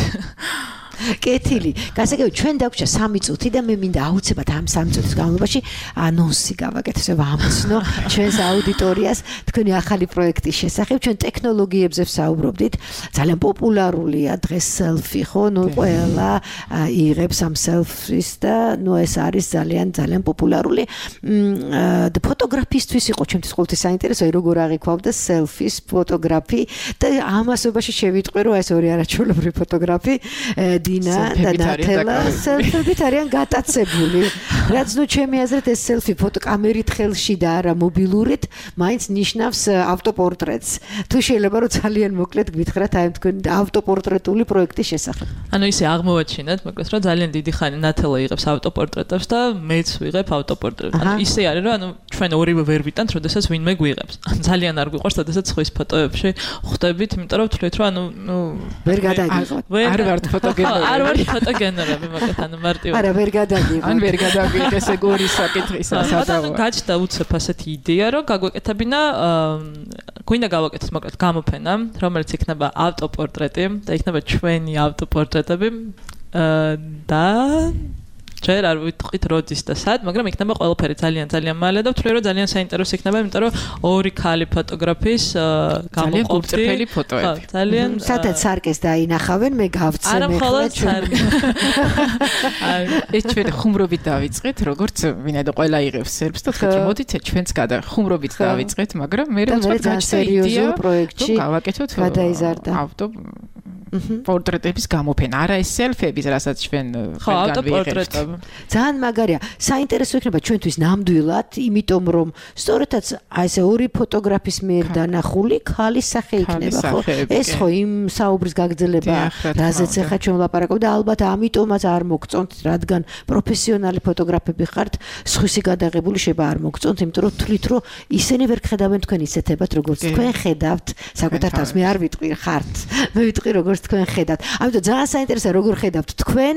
კეთილი. გასაგები ჩვენ დაგვჭა სამი წუთი და მე მინდა აუცილებლად ამ სამი წუთის განმავლობაში ანონსი გავაკეთო, ვამცნო ჩვენს აუდიტორიას თქვენი ახალი პროექტის შესახებ. ჩვენ ტექნოლოგიებზე ვსაუბრობდით. ძალიან პოპულარულია დღეს სელფი, ხო? ნუ ყველა იღებს ამ სელფის და ნუ ეს არის ძალიან ძალიან პოპულარული. და ფოტოგრაფისტვის იყო ჩემთვის ყოველთვის საინტერესო, როგორ აღიქვამდა სელფის ფოტოგრაფი და ამასობაში შევიტყვი, რომ ეს ორი არაჩვეულებრივი ფოტოგრაფი დინა და ნათელა სელფებით არიან გატაცებული. რაც ნუ ჩემი აზრით ეს სელფი ფოტოკამერით ხელში და არა მობილურით, მაინც ნიშნავს ავტოპორტრეტს. თუ შეიძლება რომ ძალიან მოკლედ გვითხრათ აი თქვენ ავტოპორტრეტული პროექტის შესახებ. ანუ ისე აღმოვაჩინეთ, მოკლედ რომ ძალიან დიდი ხანი ნათელა იღებს ავტოპორტრეტებს და მეც ვიღებ ავტოპორტრეტს. ანუ ისე არის რომ ანუ ჩვენ ორივე ვერ ვიტანთ, როდესაც ვინმე გვიღებს. ძალიან არ გვიყვარს, როდესაც ხვის ფოტოებში ხვდებით, იმიტომ რომ ვთვლით რომ ანუ ნუ ვერ გადაგიღოთ. არ ვართ ფოტოგენერები. არ ვართ ფოტოგენერები, მოკლედ ანუ მარტივად. არა, ვერ გადაგიღოთ. ან ვერ გადაგიღეთ ესე გორის საკითხისა სადავო. გაჩნდა უცებ ასეთი იდეა, რომ გაგვეკეთებინა გვინდა გავაკეთოთ მოკლედ გამოფენა, რომელიც იქნება ავტოპორტრეტი და იქნება ჩვენი ავტოპორტრეტები და ჯერ არ ვიტყვით როდის და სად, მაგრამ იქნება ყველაფერი ძალიან ძალიან მალე და ვთვლი რომ ძალიან საინტერესო იქნება, იმიტომ რომ ორი ქალი ფოტოგრაფის გამოყოფილი ძალიან ფოტოები. ძალიან სადაც სარკეს დაინახავენ, მე გავცემ ახლა. არა მხოლოდ სარკე. ეს ჩვენ ხუმრობით დავიწყეთ, როგორც ვინაიდან ყველა იღებს სერბს და თქვით რომ მოდით ჩვენც გადა ხუმრობით დავიწყეთ, მაგრამ მე უცბად გაჩნდა იდეა პროექტში გავაკეთოთ გადაიზარდა ავტო პორტრეტების გამოფენა, არა ეს სელფების, რასაც ჩვენ ყველგან ვიღებთ. ძალიან მაგარია. საინტერესო იქნება ჩვენთვის ნამდვილად, იმიტომ რომ სწორედაც აი ესე ორი ფოტოგრაფის მიერ დანახული ქალის სახე იქნება, ხო? ეს ხო იმ საუბრის გაგრძელება, რაზეც ახლა ჩვენ ვლაპარაკობ და ალბათ ამიტომაც არ მოგწონთ, რადგან პროფესიონალი ფოტოგრაფები ხართ, სხვისი გადაღებული შეიძლება არ მოგწონთ, იმიტომ რომ თვლით რომ ისინი ვერ ხედავენ თქვენ ისეთებად, როგორც თქვენ ხედავთ, საკუთარ თავს მე არ ვიტყვი ხართ. მე ვიტყვი როგორც თქვენ ხედავთ. ამიტომ ძალიან საინტერესოა როგორ ხედავთ თქვენ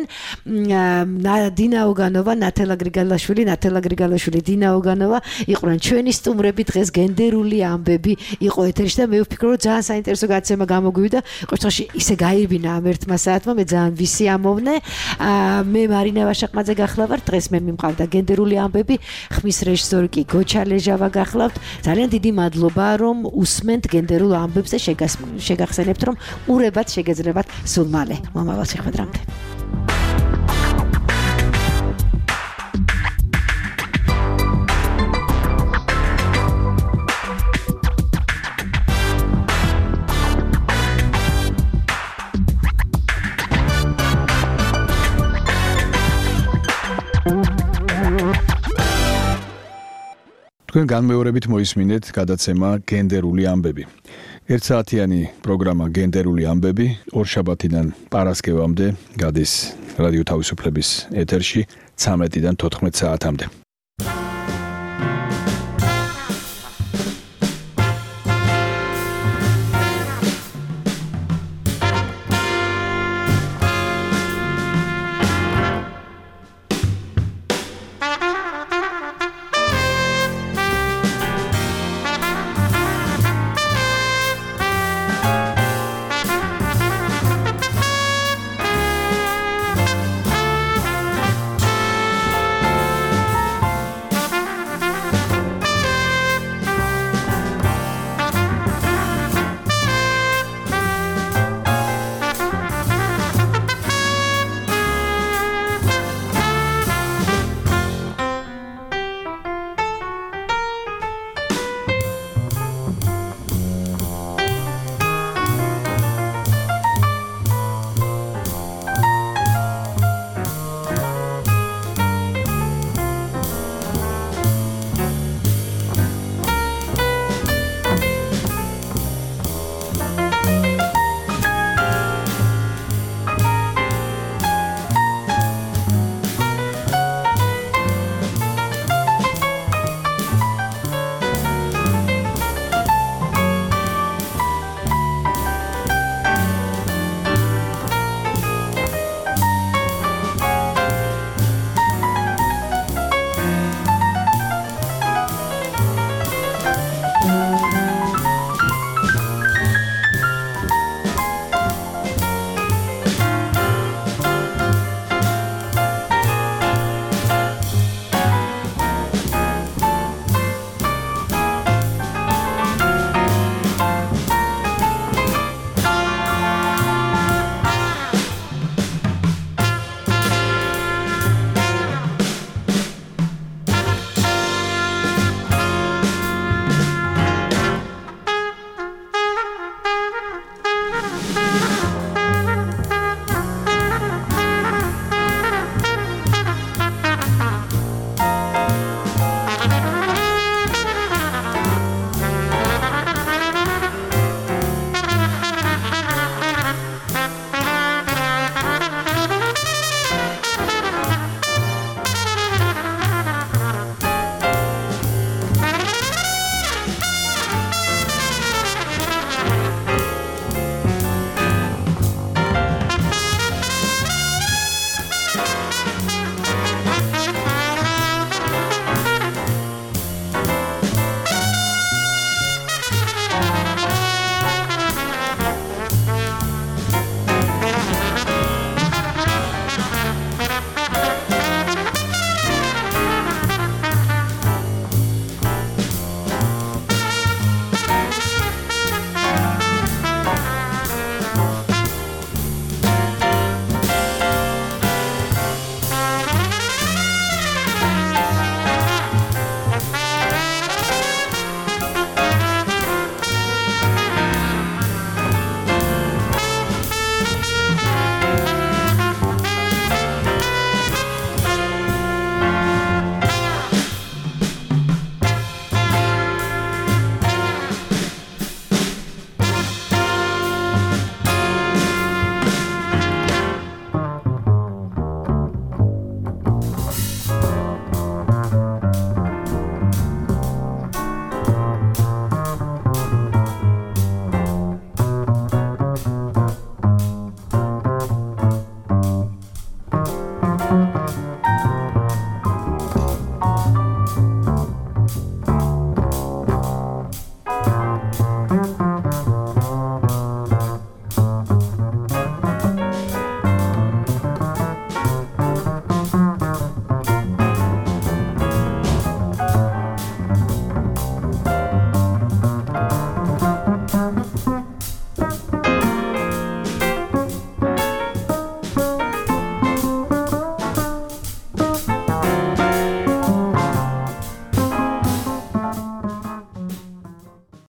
დინა ოგანოვა, ნათელა გრიგალაშვილი, ნათელა გრიგალაშვილი, დინა ოგანოვა იყვნენ ჩვენი სტუმრები დღეს გენდერული ამბები იყო ეთერში და მე ვფიქრობ რომ ძალიან საინტერესო გაცემა გამოგვივიდა. ყოველთვის ისე გაირბინა ამ ერთმა საათმა, მე ძალიან ვისიამოვნე. მე მარინა ვაშაყმაძე გახლავართ, დღეს მე მიმყავდა გენდერული ამბები, ხმის რეჟისორი კი გოჩა ლეჟავა გახლავთ. ძალიან დიდი მადლობა რომ უსმენთ გენდერულ ამბებს და შეგახსენებთ რომ ურებად შეგეძლებათ სულ მალე. მომავალ შეხვედრამდე. თქვენ განმეორებით მოისმინეთ გადაცემა გენდერული ამბები. ერთსაათიანი პროგრამა გენდერული ამბები ორშაბათიდან პარასკევამდე გადის რადიო თავისუფლების ეთერში ცამეტიდან თოთხმეტ საათამდე.